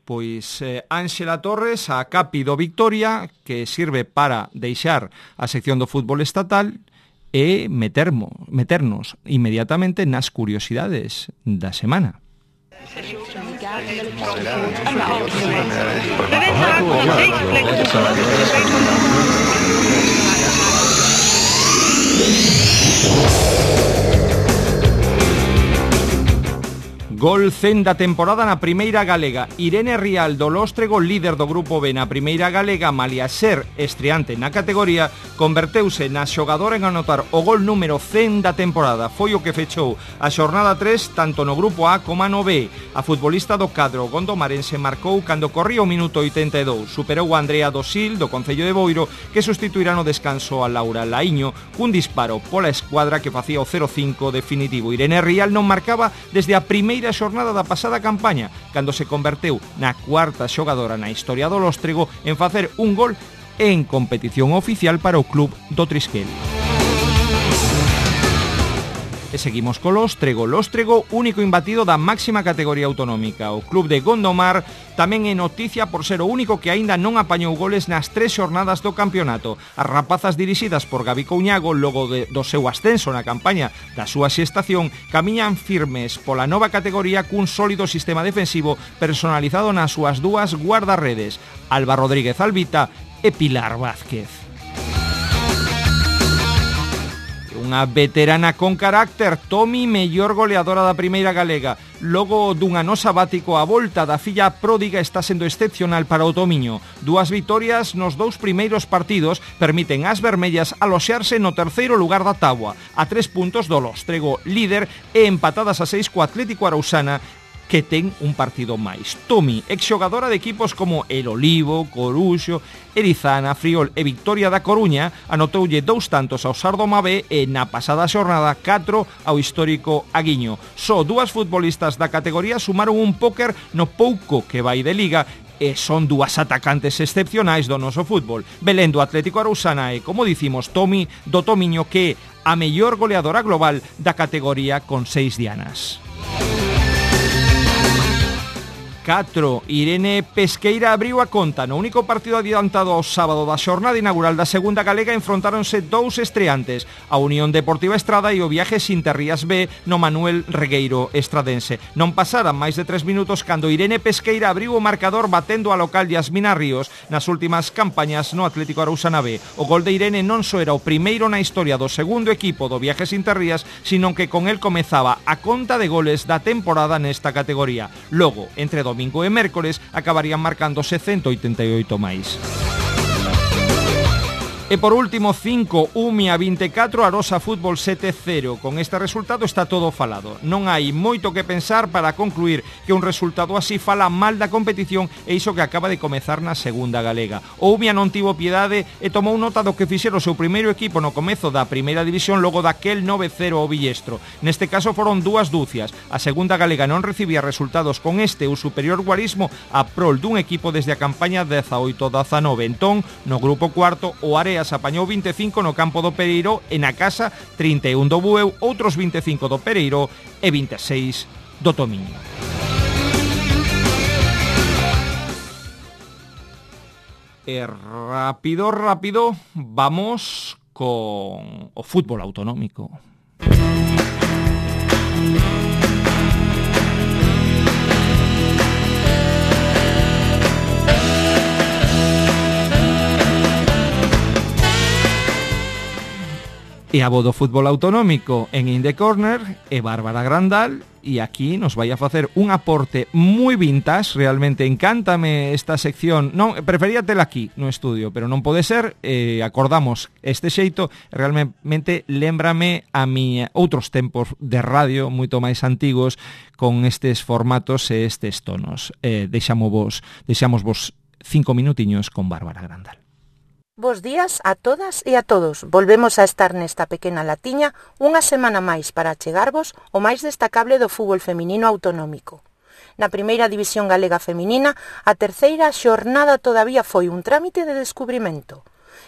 Pois eh, Ánxela Torres, a capi do Victoria, que sirve para deixar a sección do fútbol estatal e metermo, meternos inmediatamente nas curiosidades da semana. Gol cen da temporada na primeira galega. Irene Rial do Lóstrego, líder do grupo B na primeira galega, malia ser estreante na categoría, converteuse na xogadora en anotar o gol número cen da temporada. Foi o que fechou a xornada tres tanto no grupo A como no B. A futbolista do cadro gondomarense marcou cando corría o minuto oitenta e dous. Superou a Andrea Dosil do Concello de Boiro, que sustituirá no descanso a Laura Laíño cun disparo pola escuadra que facía o cero cinco definitivo. Irene Rial non marcaba desde a primeira xornada da pasada campaña, cando se converteu na cuarta xogadora na historia do Lóstrego en facer un gol en competición oficial para o club do Trisquel. E seguimos co Lóstrego. Lóstrego, único imbatido da máxima categoría autonómica. O club de Gondomar tamén é noticia por ser o único que aínda non apañou goles nas tres xornadas do campeonato. As rapazas dirixidas por Gabi Couñago, logo de, do seu ascenso na campaña da súa xestación, camiñan firmes pola nova categoría cun sólido sistema defensivo personalizado nas súas dúas guardarredes, Alba Rodríguez Albita e Pilar Vázquez. Unha veterana con carácter, Tomi, mellor goleadora da primeira galega. Logo dun ano sabático, a volta da filla pródiga está sendo excepcional para o Tomiño. Dúas vitorias nos dous primeiros partidos permiten ás vermellas aloxearse no terceiro lugar da táboa, a tres puntos do Lóstrego, líder, e empatadas a seis co Atlético Arausana, que ten un partido máis. Tomi, exxogadora de equipos como El Olivo, Coruxo, Erizana, Friol e Victoria da Coruña, anotoulle dous tantos ao Sardoma B e na pasada xornada catro ao histórico Aguiño. Só dúas futbolistas da categoría sumaron un póker no pouco que vai de liga e son dúas atacantes excepcionais do noso fútbol. Belén do Atlético Arousana e, como dicimos, Tomi do Tomiño, que é a mellor goleadora global da categoría con seis dianas. catro. Irene Pesqueira abriu a conta. No único partido adiantado ao sábado da xornada inaugural da segunda galega enfrontáronse dous estreantes, a Unión Deportiva Estrada e o Viajes Interrías B no Manuel Regueiro Estradense. Non pasaran máis de tres minutos cando Irene Pesqueira abriu o marcador batendo a local Yasmina Ríos nas últimas campañas no Atlético Arousana B. O gol de Irene non só era o primeiro na historia do segundo equipo do Viajes Interrías, sino que con el comezaba a conta de goles da temporada nesta categoría. Logo, entre domingo e mércores, acabarían marcándose ciento oitenta e oito máis. E por último, cinco, Umia vinte e catro, Arosa Fútbol sete cero. Con este resultado está todo falado. Non hai moito que pensar para concluir que un resultado así fala mal da competición e iso que acaba de comezar na segunda galega. O Umia non tivo piedade e tomou nota do que fixera o seu primeiro equipo no comezo da primeira división logo daquel nove cero ao Villestro. Neste caso foron dúas dúcias. A segunda galega non recibía resultados con este ou superior guarismo a prol dun equipo desde a campaña dezaoito dezanove. Entón, no grupo cuarto, o Área apañou vinte e cinco no campo do Pereiro e na casa trinta e un do Bueu, outros vinte e cinco do Pereiro e vinte e seis do Tomiño. E rápido, rápido, vamos con o fútbol autonómico. E a voz do fútbol autonómico en In The Corner é Bárbara Grandal e aquí nos vai a facer un aporte moi vintage. Realmente encántame esta sección. Non, prefería tela aquí no estudio, pero non pode ser. Eh, acordamos este xeito, realmente lembrame a mi outros tempos de radio moito máis antigos con estes formatos e estes tonos. Eh, deixamos vos, deixamos vos cinco minutiños con Bárbara Grandal. Bos días a todas e a todos. Volvemos a estar nesta pequena latiña unha semana máis para achegarvos o máis destacable do fútbol feminino autonómico. Na primeira división galega feminina, a terceira xornada todavía foi un trámite de descubrimento.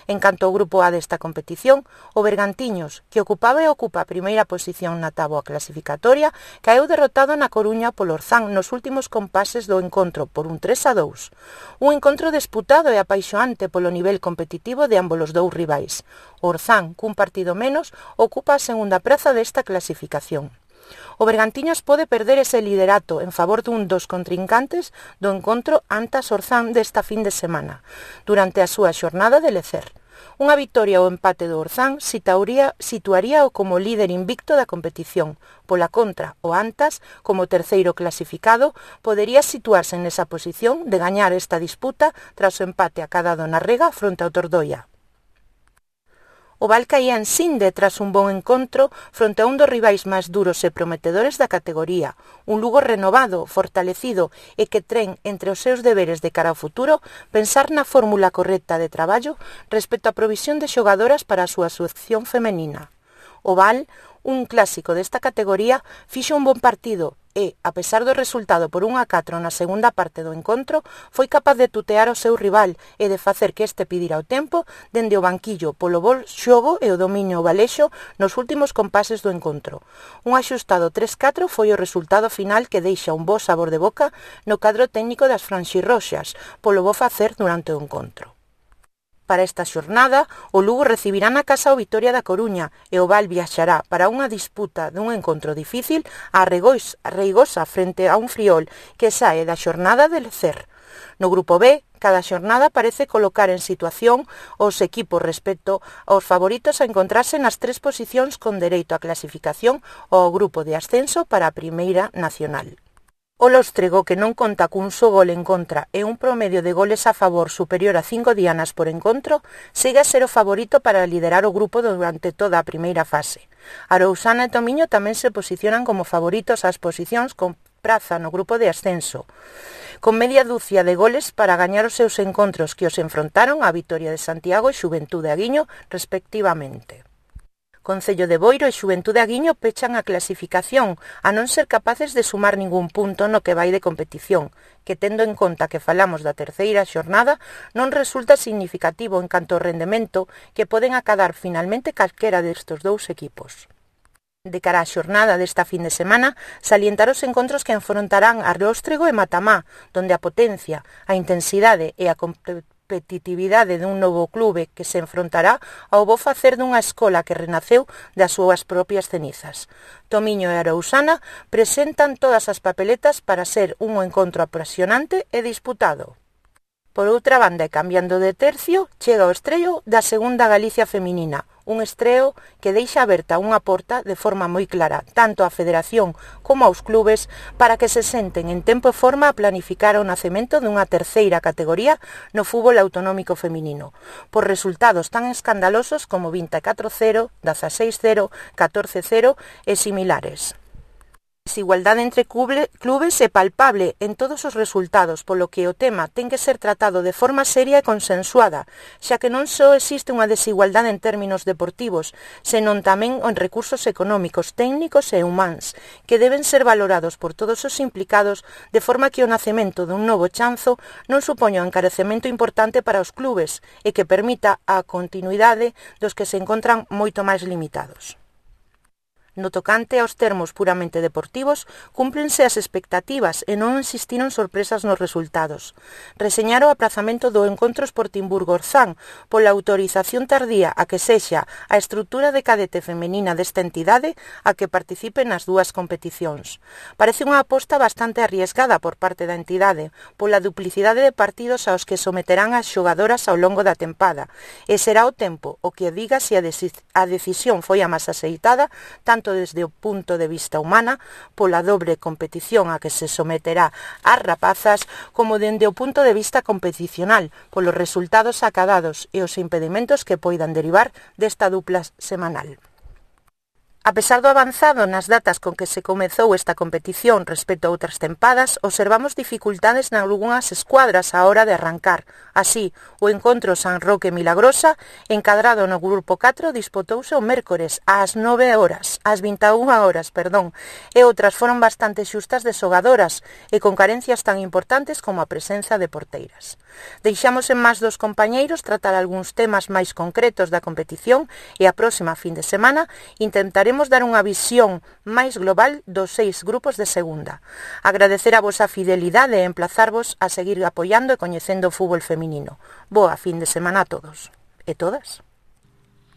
En canto ao grupo A desta competición, o Bergantiños, que ocupaba e ocupa a primeira posición na táboa clasificatoria, caeu derrotado na Coruña polo Orzán nos últimos compases do encontro por un tres a dous. Un encontro disputado e apaixoante polo nivel competitivo de ambos os dous rivais. O Orzán, cun partido menos, ocupa a segunda praza desta clasificación. O Bergantiños pode perder ese liderato en favor dun dos contrincantes do encontro Antas-Orzán desta fin de semana, durante a súa xornada de lecer. Unha vitoria ou empate do Orzán situaría, situaría o como líder invicto da competición. Pola contra, o Antas, como terceiro clasificado, podería situarse nesa posición de gañar esta disputa tras o empate acadado na Rega fronte ao Tordoia. O Val caía en Sinde tras un bon encontro fronte a un dos rivais máis duros e prometedores da categoría, un Lugo renovado, fortalecido e que tren entre os seus deberes de cara ao futuro pensar na fórmula correcta de traballo respecto á provisión de xogadoras para a súa selección femenina. O Val, un clásico desta categoría, fixo un bon partido e, a pesar do resultado por un a catro na segunda parte do encontro, foi capaz de tutear o seu rival e de facer que este pidira o tempo dende o banquillo polo bol xogo e o dominio valexo nos últimos compases do encontro. Un axustado tres catro foi o resultado final que deixa un bo sabor de boca no cadro técnico das franxirroxas polo bo facer durante o encontro. Para esta xornada, o Lugo recibirá na casa o Vitoria da Coruña e o Val viaxará para unha disputa dun encontro difícil a Reigosa frente a un Friol que sae da xornada de lecer. No grupo B, cada xornada parece colocar en situación os equipos respecto aos favoritos a encontrarse nas tres posicións con dereito á clasificación ao grupo de ascenso para a Primeira Nacional. O Lóstrego, que non conta cun só gol en contra e un promedio de goles a favor superior a cinco dianas por encontro, segue a ser o favorito para liderar o grupo durante toda a primeira fase. Arousana e Tomiño tamén se posicionan como favoritos ás posicións con praza no grupo de ascenso, con media dúcia de goles para gañar os seus encontros que os enfrontaron a Vitoria de Santiago e Xuventude Aguiño, respectivamente. Concello de Boiro e Xuventude Aguiño pechan a clasificación, a non ser capaces de sumar ningún punto no que vai de competición, que tendo en conta que falamos da terceira xornada, non resulta significativo en canto ao rendemento que poden acadar finalmente calquera destes dous equipos. De cara á xornada desta fin de semana, salientar os encontros que enfrontarán a Róstrego e Matamá, donde a potencia, a intensidade e a competitividade dun novo clube que se enfrontará ao bo facer dunha escola que renaceu das súas propias cenizas. Tomiño e Arousana presentan todas as papeletas para ser un encontro apasionante e disputado. Por outra banda, e cambiando de tercio, chega o estreo da Segunda Galicia Feminina, un estreo que deixa aberta unha porta de forma moi clara, tanto á federación como aos clubes, para que se senten en tempo e forma a planificar o nacemento dunha terceira categoría no fútbol autonómico feminino, por resultados tan escandalosos como vinte e catro cero, dezaseis cero, catorce cero e similares. A desigualdade entre clubes é palpable en todos os resultados, polo que o tema ten que ser tratado de forma seria e consensuada, xa que non só existe unha desigualdade en términos deportivos, senón tamén en recursos económicos, técnicos e humáns, que deben ser valorados por todos os implicados de forma que o nacemento dun novo chanzo non supoña un encarecemento importante para os clubes e que permita a continuidade dos que se encontran moito máis limitados. No tocante aos termos puramente deportivos, cúmplense as expectativas e non existiron sorpresas nos resultados. Reseñar o aprazamento do encontro Sportingburgo-Orzán pola autorización tardía a que sexa a estrutura de cadete femenina desta entidade a que participe nas dúas competicións. Parece unha aposta bastante arriesgada por parte da entidade, pola duplicidade de partidos aos que someterán as xogadoras ao longo da tempada, e será o tempo o que diga se a, a decisión foi a máis aceitada, tanto tanto desde o punto de vista humana, pola dobre competición a que se someterá ás rapazas, como dende o punto de vista competicional, polos resultados acadados e os impedimentos que poidan derivar desta dupla semanal. A pesar do avanzado nas datas con que se comezou esta competición respecto a outras tempadas, observamos dificultades nalgunhas escuadras á hora de arrancar. Así, o encontro San Roque Milagrosa, encadrado no grupo catro, disputouse o mércores ás nove horas, ás vinte e unha horas, perdón, e outras foron bastante xustas de xogadoras e con carencias tan importantes como a presenza de porteiras. Deixamos en más dos compañeiros tratar algúns temas máis concretos da competición e a próxima fin de semana intentaremos dar unha visión máis global dos seis grupos de segunda. Agradecer a vosa fidelidade e emplazarvos a seguir apoiando e coñecendo o fútbol feminino. Boa fin de semana a todos. E todas?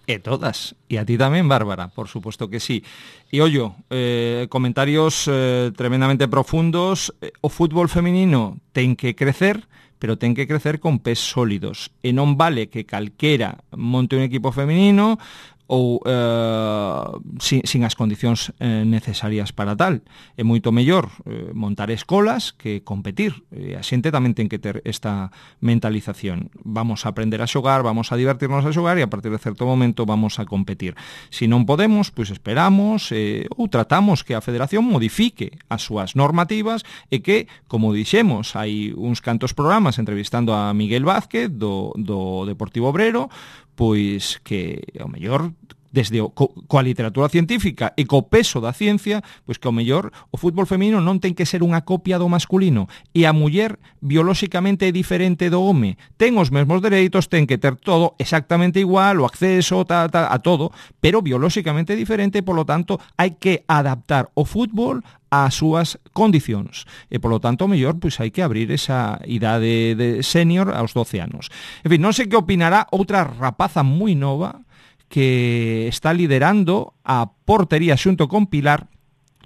E todas. E a ti tamén, Bárbara, por supuesto que sí. E ollo, eh, comentarios eh, tremendamente profundos. O fútbol feminino ten que crecer, pero ten que crecer con pés sólidos. E non vale que calquera monte un equipo feminino ou eh, sin, sin as condicións eh, necesarias para tal. É moito mellor eh, montar escolas que competir. E a xente tamén ten que ter esta mentalización. Vamos a aprender a xogar, vamos a divertirnos a xogar e a partir de certo momento vamos a competir. Se non podemos, pois esperamos eh, ou tratamos que a Federación modifique as súas normativas e que, como dixemos, hai uns cantos programas entrevistando a Miguel Vázquez do, do Deportivo Obrero, pois que ao mellor desde o, co, coa literatura científica e co peso da ciencia, pois que ao mellor o fútbol feminino non ten que ser unha copia do masculino e a muller biolóxicamente é diferente do home, ten os mesmos dereitos, ten que ter todo exactamente igual, o acceso ta, ta, a todo, pero biolóxicamente diferente, polo tanto hai que adaptar o fútbol ás súas condicións. E, polo tanto, mellor, pois hai que abrir esa idade de senior aos doce anos. En fin, non sei que opinará outra rapaza moi nova que está liderando a portería xunto con Pilar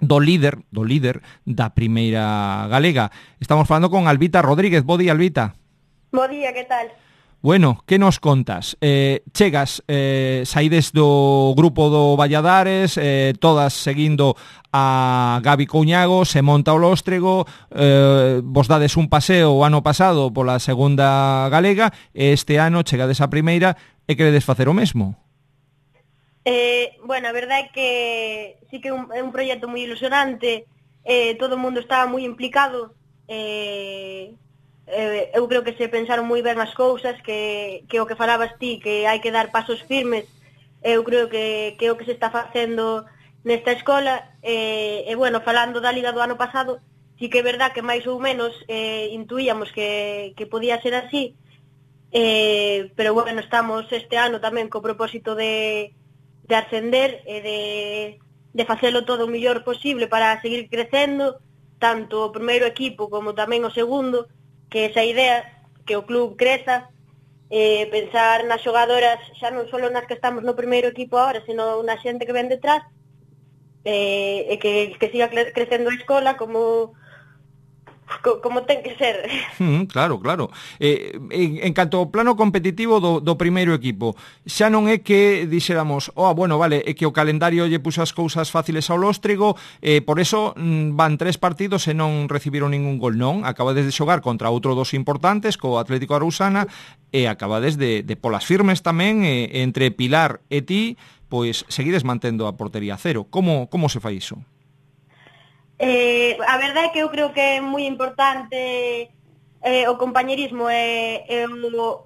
do líder, do líder da primeira galega. Estamos falando con Albita Rodríguez. Bo día, Albita. Bo día, que tal? Bueno, que nos contas? Eh, chegas, eh, saides do grupo do Valladares, eh, todas seguindo a Gabi Couñago, se monta o Lóstrego, eh, vos dades un paseo o ano pasado pola segunda galega, e este ano chegades a primeira e queredes facer o mesmo? Eh, bueno, a verdade é que sí que é un, é un proxecto moi ilusionante, eh, todo o mundo estaba moi implicado, eh... Eh, eu creo que se pensaron moi ben as cousas, que, que o que falabas ti, que hai que dar pasos firmes eu creo que, que é o que se está facendo nesta escola, e, e bueno, falando da Liga do ano pasado, sí que é verdad que máis ou menos eh, intuíamos que, que podía ser así, eh, pero bueno, estamos este ano tamén co propósito de, de ascender e de, de facelo todo o mellor posible para seguir crecendo, tanto o primeiro equipo como tamén o segundo, que esa idea, que o club creza, eh, pensar nas xogadoras xa non só nas que estamos no primeiro equipo agora, sino na xente que ven detrás, eh, e que, que siga crecendo a escola como... como ten que ser. Mm, claro, claro. Eh, en, en canto ao plano competitivo do, do primeiro equipo, xa non é que dixéramos, oh, bueno, vale, é que o calendario lle puxo as cousas fáciles ao Lóstrego, eh, por eso mm, van tres partidos e non recibiron ningún gol, non? Acabades de xogar contra outro dos importantes, co Atlético Arousana, e acabades de, de polas firmes tamén, eh, entre Pilar e ti, pois seguides mantendo a portería cero. Como, como se fai iso? Eh, a verdade é que eu creo que é moi importante eh, o compañerismo e, e o,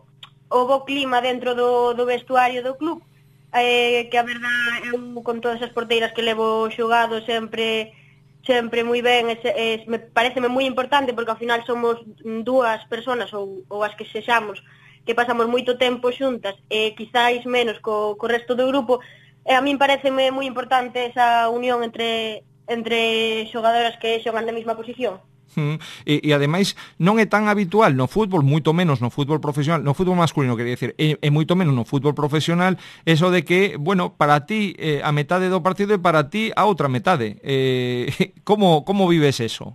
o bo clima dentro do, do vestuario do club, eh, que a verdade eu con todas as porteiras que levo xogado sempre sempre moi ben, e, e, me pareceme moi importante porque ao final somos dúas personas ou, ou as que sexamos que pasamos moito tempo xuntas e quizáis menos co, co resto do grupo, e a min pareceme moi importante esa unión entre entre xogadoras que xogan na mesma posición. Mm, e, e ademais non é tan habitual no fútbol, moito menos no fútbol profesional, no fútbol masculino, quería decir, e, e moito menos no fútbol profesional, eso de que, bueno, para ti eh, a metade do partido e para ti a outra metade. Eh, como, como vives eso?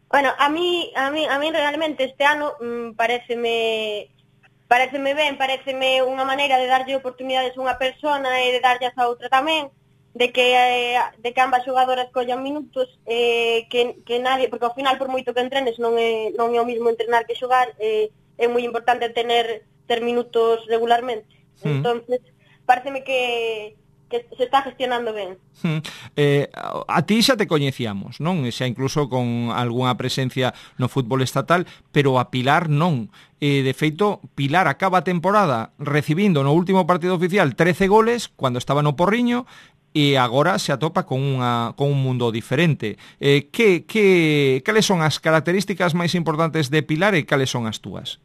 Bueno, a mí, a mí, a mí realmente este ano mmm, pareceme pareceme ben, pareceme unha maneira de darlle oportunidades a unha persona e de darlle a outra tamén, de que eh, de que ambas xogadoras collan minutos, eh, que, que nadie, porque ao final por moito que entrenes non é, non é o mismo entrenar que xogar, eh, é moi importante tener ter minutos regularmente. Mm. Entonces, pareceme que que se está gestionando ben. Mm. Eh, a ti xa te coñecíamos, non? Xa incluso con algunha presencia no fútbol estatal, pero a Pilar non. Eh, de feito, Pilar acaba a temporada recibindo no último partido oficial trece goles, cando estaba no Porriño, e agora se atopa con, unha, con un mundo diferente. Eh, que, que, cales son as características máis importantes de Pilar e cales son as túas?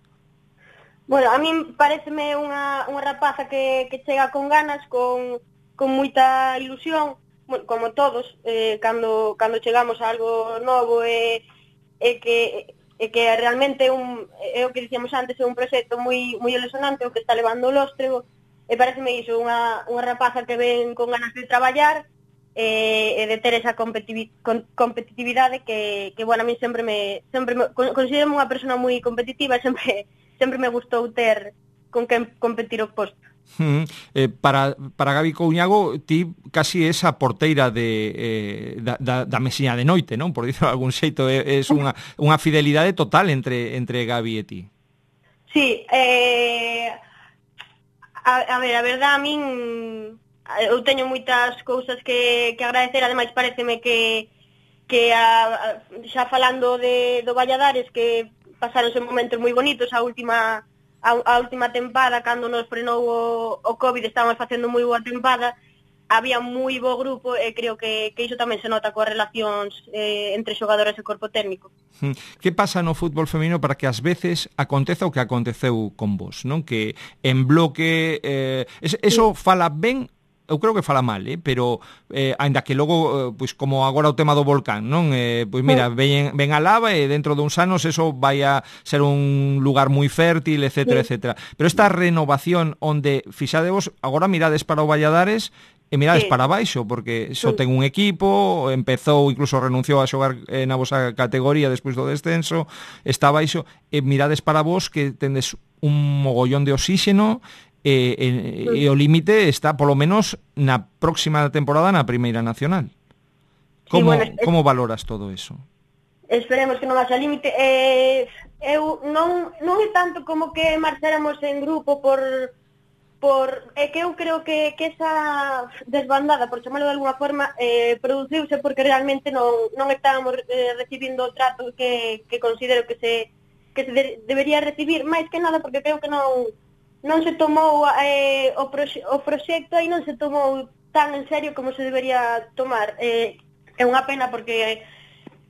Bueno, a min pareceme unha, unha rapaza que, que chega con ganas, con, con moita ilusión, bueno, como todos, eh, cando, cando chegamos a algo novo e, e que... e que realmente un, é o que dicíamos antes, é un proxecto moi, moi ilusionante o que está levando o Lóstrego. E pareceme iso, unha, unha rapaza que ven con ganas de traballar e, e de ter esa competitivi, con, competitividade que, que bueno, a mí sempre me, sempre me considero unha persona moi competitiva e sempre, sempre me gustou ter con quen competir o posto. Mm, eh, para, para Gabi Couñago, ti casi é a porteira de, eh, da, da, da mesiña de noite, non? Por dicirlo de algún xeito, é, é unha, unha fidelidade total entre, entre Gabi e ti. Sí, eh... A, a ver, a verdade, a min eu teño moitas cousas que, que agradecer, ademais pareceme que, que a, a, xa falando de, do Valladares, que pasaronse momentos moi bonitos, a última a, a última tempada, cando nos frenou o, o COVID, estábamos facendo moi boa tempada, había moi bo grupo e creo que, que iso tamén se nota coas relacións eh, entre xogadoras e corpo técnico. Que pasa no fútbol feminino para que ás veces aconteza o que aconteceu con vos, non? Que en bloque, eh, eso fala ben, eu creo que fala mal, eh? Pero eh, ainda que logo, eh, pois como agora o tema do volcán, non? Eh, pois mira, ven, ven a lava e dentro duns anos eso vai a ser un lugar moi fértil, etcétera, sí. etcétera. Pero esta renovación onde, fixadevos, agora mirades para o Valladares e mirades sí. para baixo, porque só ten un equipo, empezou, incluso renunciou a xogar eh, na vosa categoría despois do descenso, está baixo, e mirades para vos que tendes un mogollón de oxíxeno, e, e, e o límite está polo menos na próxima temporada na Primeira Nacional. Como, sí, bueno, como valoras todo eso? Esperemos que non vaxa límite. Eh, eu non, non é tanto como que marcháramos en grupo por... por é que eu creo que, que esa desbandada, por chamarlo de alguna forma, eh, produciuse porque realmente non, non estábamos eh, recibindo o trato que, que considero que se que se de, debería recibir, máis que nada porque creo que non non se tomou eh, o, proxe- o proxecto e non se tomou tan en serio como se debería tomar. Eh, é unha pena porque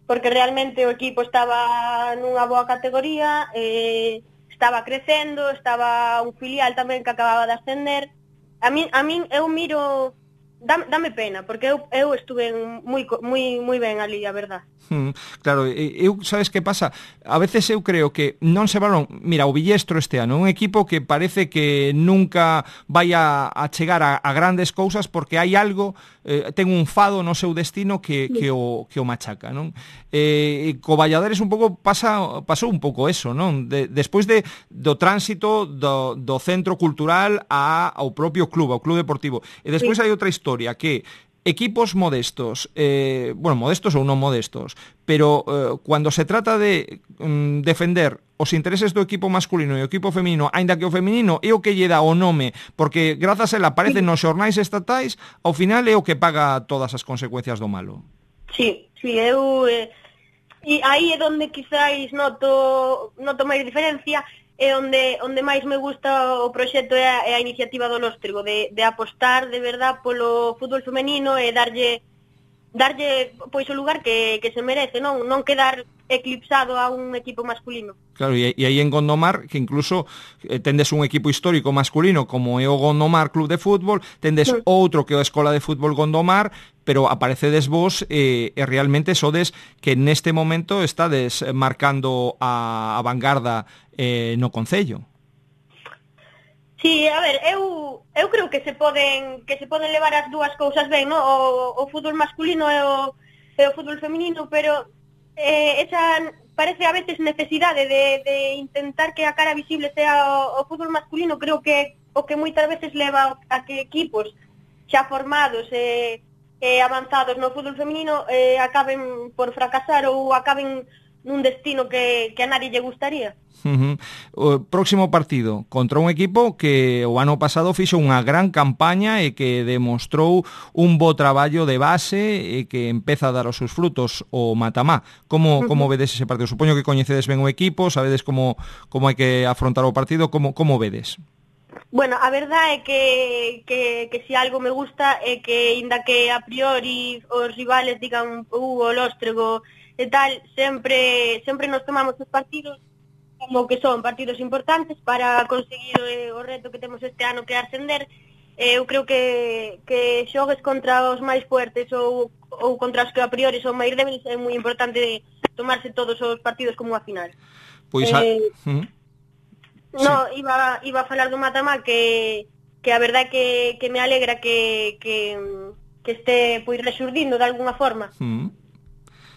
porque realmente o equipo estaba nunha boa categoría, eh, estaba crecendo, estaba un filial tamén que acababa de ascender. A min, a min eu miro, dame, dame pena, porque eu, eu estuve moi, moi, moi ben ali, a verdad. Hmm, claro, eu, sabes que pasa? A veces eu creo que non se valon, mira, o Villestro este ano, un equipo que parece que nunca vai a, a chegar a, a grandes cousas porque hai algo, eh, ten un fado no seu destino que, que, o, que o machaca, non? Eh, co Valladares un pouco pasa, pasou un pouco eso, non? De, despois de, do tránsito do, do centro cultural a, ao propio club, ao club deportivo. E despois sí. hai outra historia que equipos modestos, eh, bueno, modestos ou non modestos, pero eh, cuando se trata de mm, defender os intereses do equipo masculino e o equipo feminino, aínda que o feminino é o que lle dá o nome, porque grazas a ela aparece nos xornais estatais, ao final é o que paga todas as consecuencias do malo. Sí, sí, eu... Eh, e aí é onde quizáis noto, noto máis diferencia, é onde onde máis me gusta o proxecto é a, é a iniciativa do Lóstrego de, de apostar de verdad polo fútbol femenino e darlle darlle pois o lugar que, que se merece, non non quedar eclipsado a un equipo masculino. Claro, e, e aí en Gondomar, que incluso eh, tendes un equipo histórico masculino como é o Gondomar Club de Fútbol, tendes sí. outro que é a Escola de Fútbol Gondomar, pero aparecedes vos e, e realmente sodes que neste momento estades marcando a, a vanguarda eh, no concello. Sí, a ver, eu eu creo que se poden que se poden levar as dúas cousas ben, no? O, o fútbol masculino e o, e o fútbol feminino, pero eh, esa parece a veces necesidade de, de intentar que a cara visible sea o, o fútbol masculino, creo que o que moitas veces leva a que equipos xa formados e eh, avanzados no fútbol feminino eh, acaben por fracasar ou acaben nun destino que, que a nadie lle gustaría. Uh-huh. O próximo partido contra un equipo que o ano pasado fixo unha gran campaña e que demostrou un bo traballo de base e que empeza a dar os seus frutos, o Matamá. Como, uh-huh. como vedes ese partido? Supoño que coñecedes ben o equipo, sabedes como, como hai que afrontar o partido, como, como vedes? Bueno, a verdade é que, que, que si algo me gusta é que, inda que a priori os rivales digan uh, o Lóstrego e tal, sempre sempre nos tomamos os partidos como que son partidos importantes para conseguir eh, o reto que temos este ano, que é ascender. Eh, eu creo que, que xogues contra os máis fuertes ou, ou contra os que a priori son máis débiles, é moi importante tomarse todos os partidos como a final. Pois a... eh, uh-huh. No, sí. iba, iba a falar do Matamá que, que a verdade que, que me alegra que, que, que este pois resurdindo de alguna forma. Uh-huh.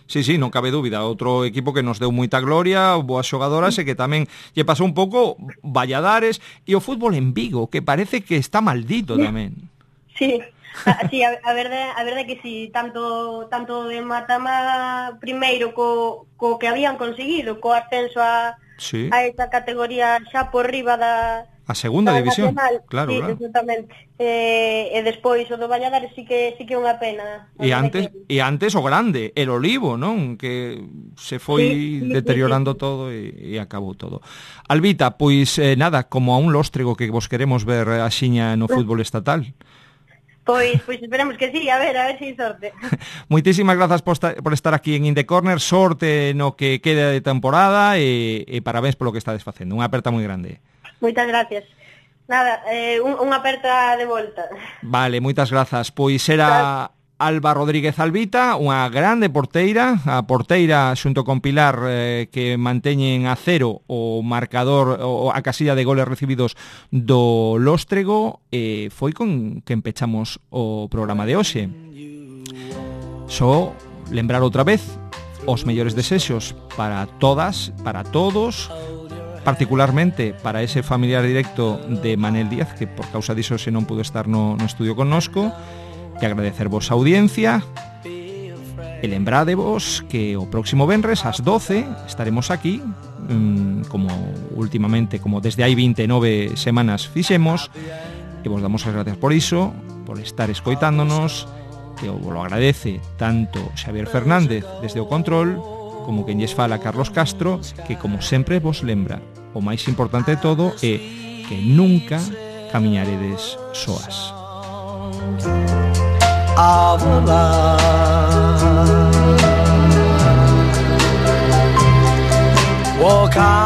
Sí, sí, non cabe dúbida, outro equipo que nos deu moita gloria, boas xogadoras e que tamén lle pasou un pouco Valladares e o fútbol en Vigo, que parece que está maldito tamén. Sí, a, sí, a, a verdade, a verdade que sí, tanto tanto de Matamá primeiro co, co que habían conseguido, co ascenso a, sí. a esa categoría xa por riba da a segunda división, nacional. Claro, sí, claro. Exactamente. Eh, e despois o do Valladares sí que sí que é unha pena. E antes que... e antes o grande, el Olivo, non? Que se foi sí, sí, deteriorando sí, sí. todo e, e acabou todo. Albita, pois eh, nada, como a un Lóstrego que vos queremos ver axiña no fútbol estatal. Pois, pois esperemos que sí, a ver, a ver se si sorte. Moitísimas grazas por, esta, por estar aquí en In The Corner, sorte no que queda de temporada e, e parabéns polo que estades facendo. Unha aperta moi grande. Moitas gracias. Nada, eh, un, unha aperta de volta. Vale, moitas grazas. Pois era Alba Rodríguez Albita, unha grande porteira, a porteira xunto con Pilar eh, que manteñen a cero o marcador, o a casilla de goles recibidos do Lóstrego, e foi con que empechamos o programa de hoxe. Só lembrar outra vez os mellores desexos para todas, para todos, particularmente para ese familiar directo de Manel Díaz, que por causa diso se non pudo estar no, no estudio connosco, e agradecervos a audiencia e lembrádevos que o próximo venres ás doce estaremos aquí, mmm, como últimamente, como desde hai vinte e nove semanas fixemos, e vos damos as gracias por iso, por estar escoitándonos, que vos lo agradece tanto Xavier Fernández desde o control, como quen lles fala Carlos Castro, que como sempre vos lembra, o máis importante de todo é que nunca camiñaredes soas. Of love. Walk on.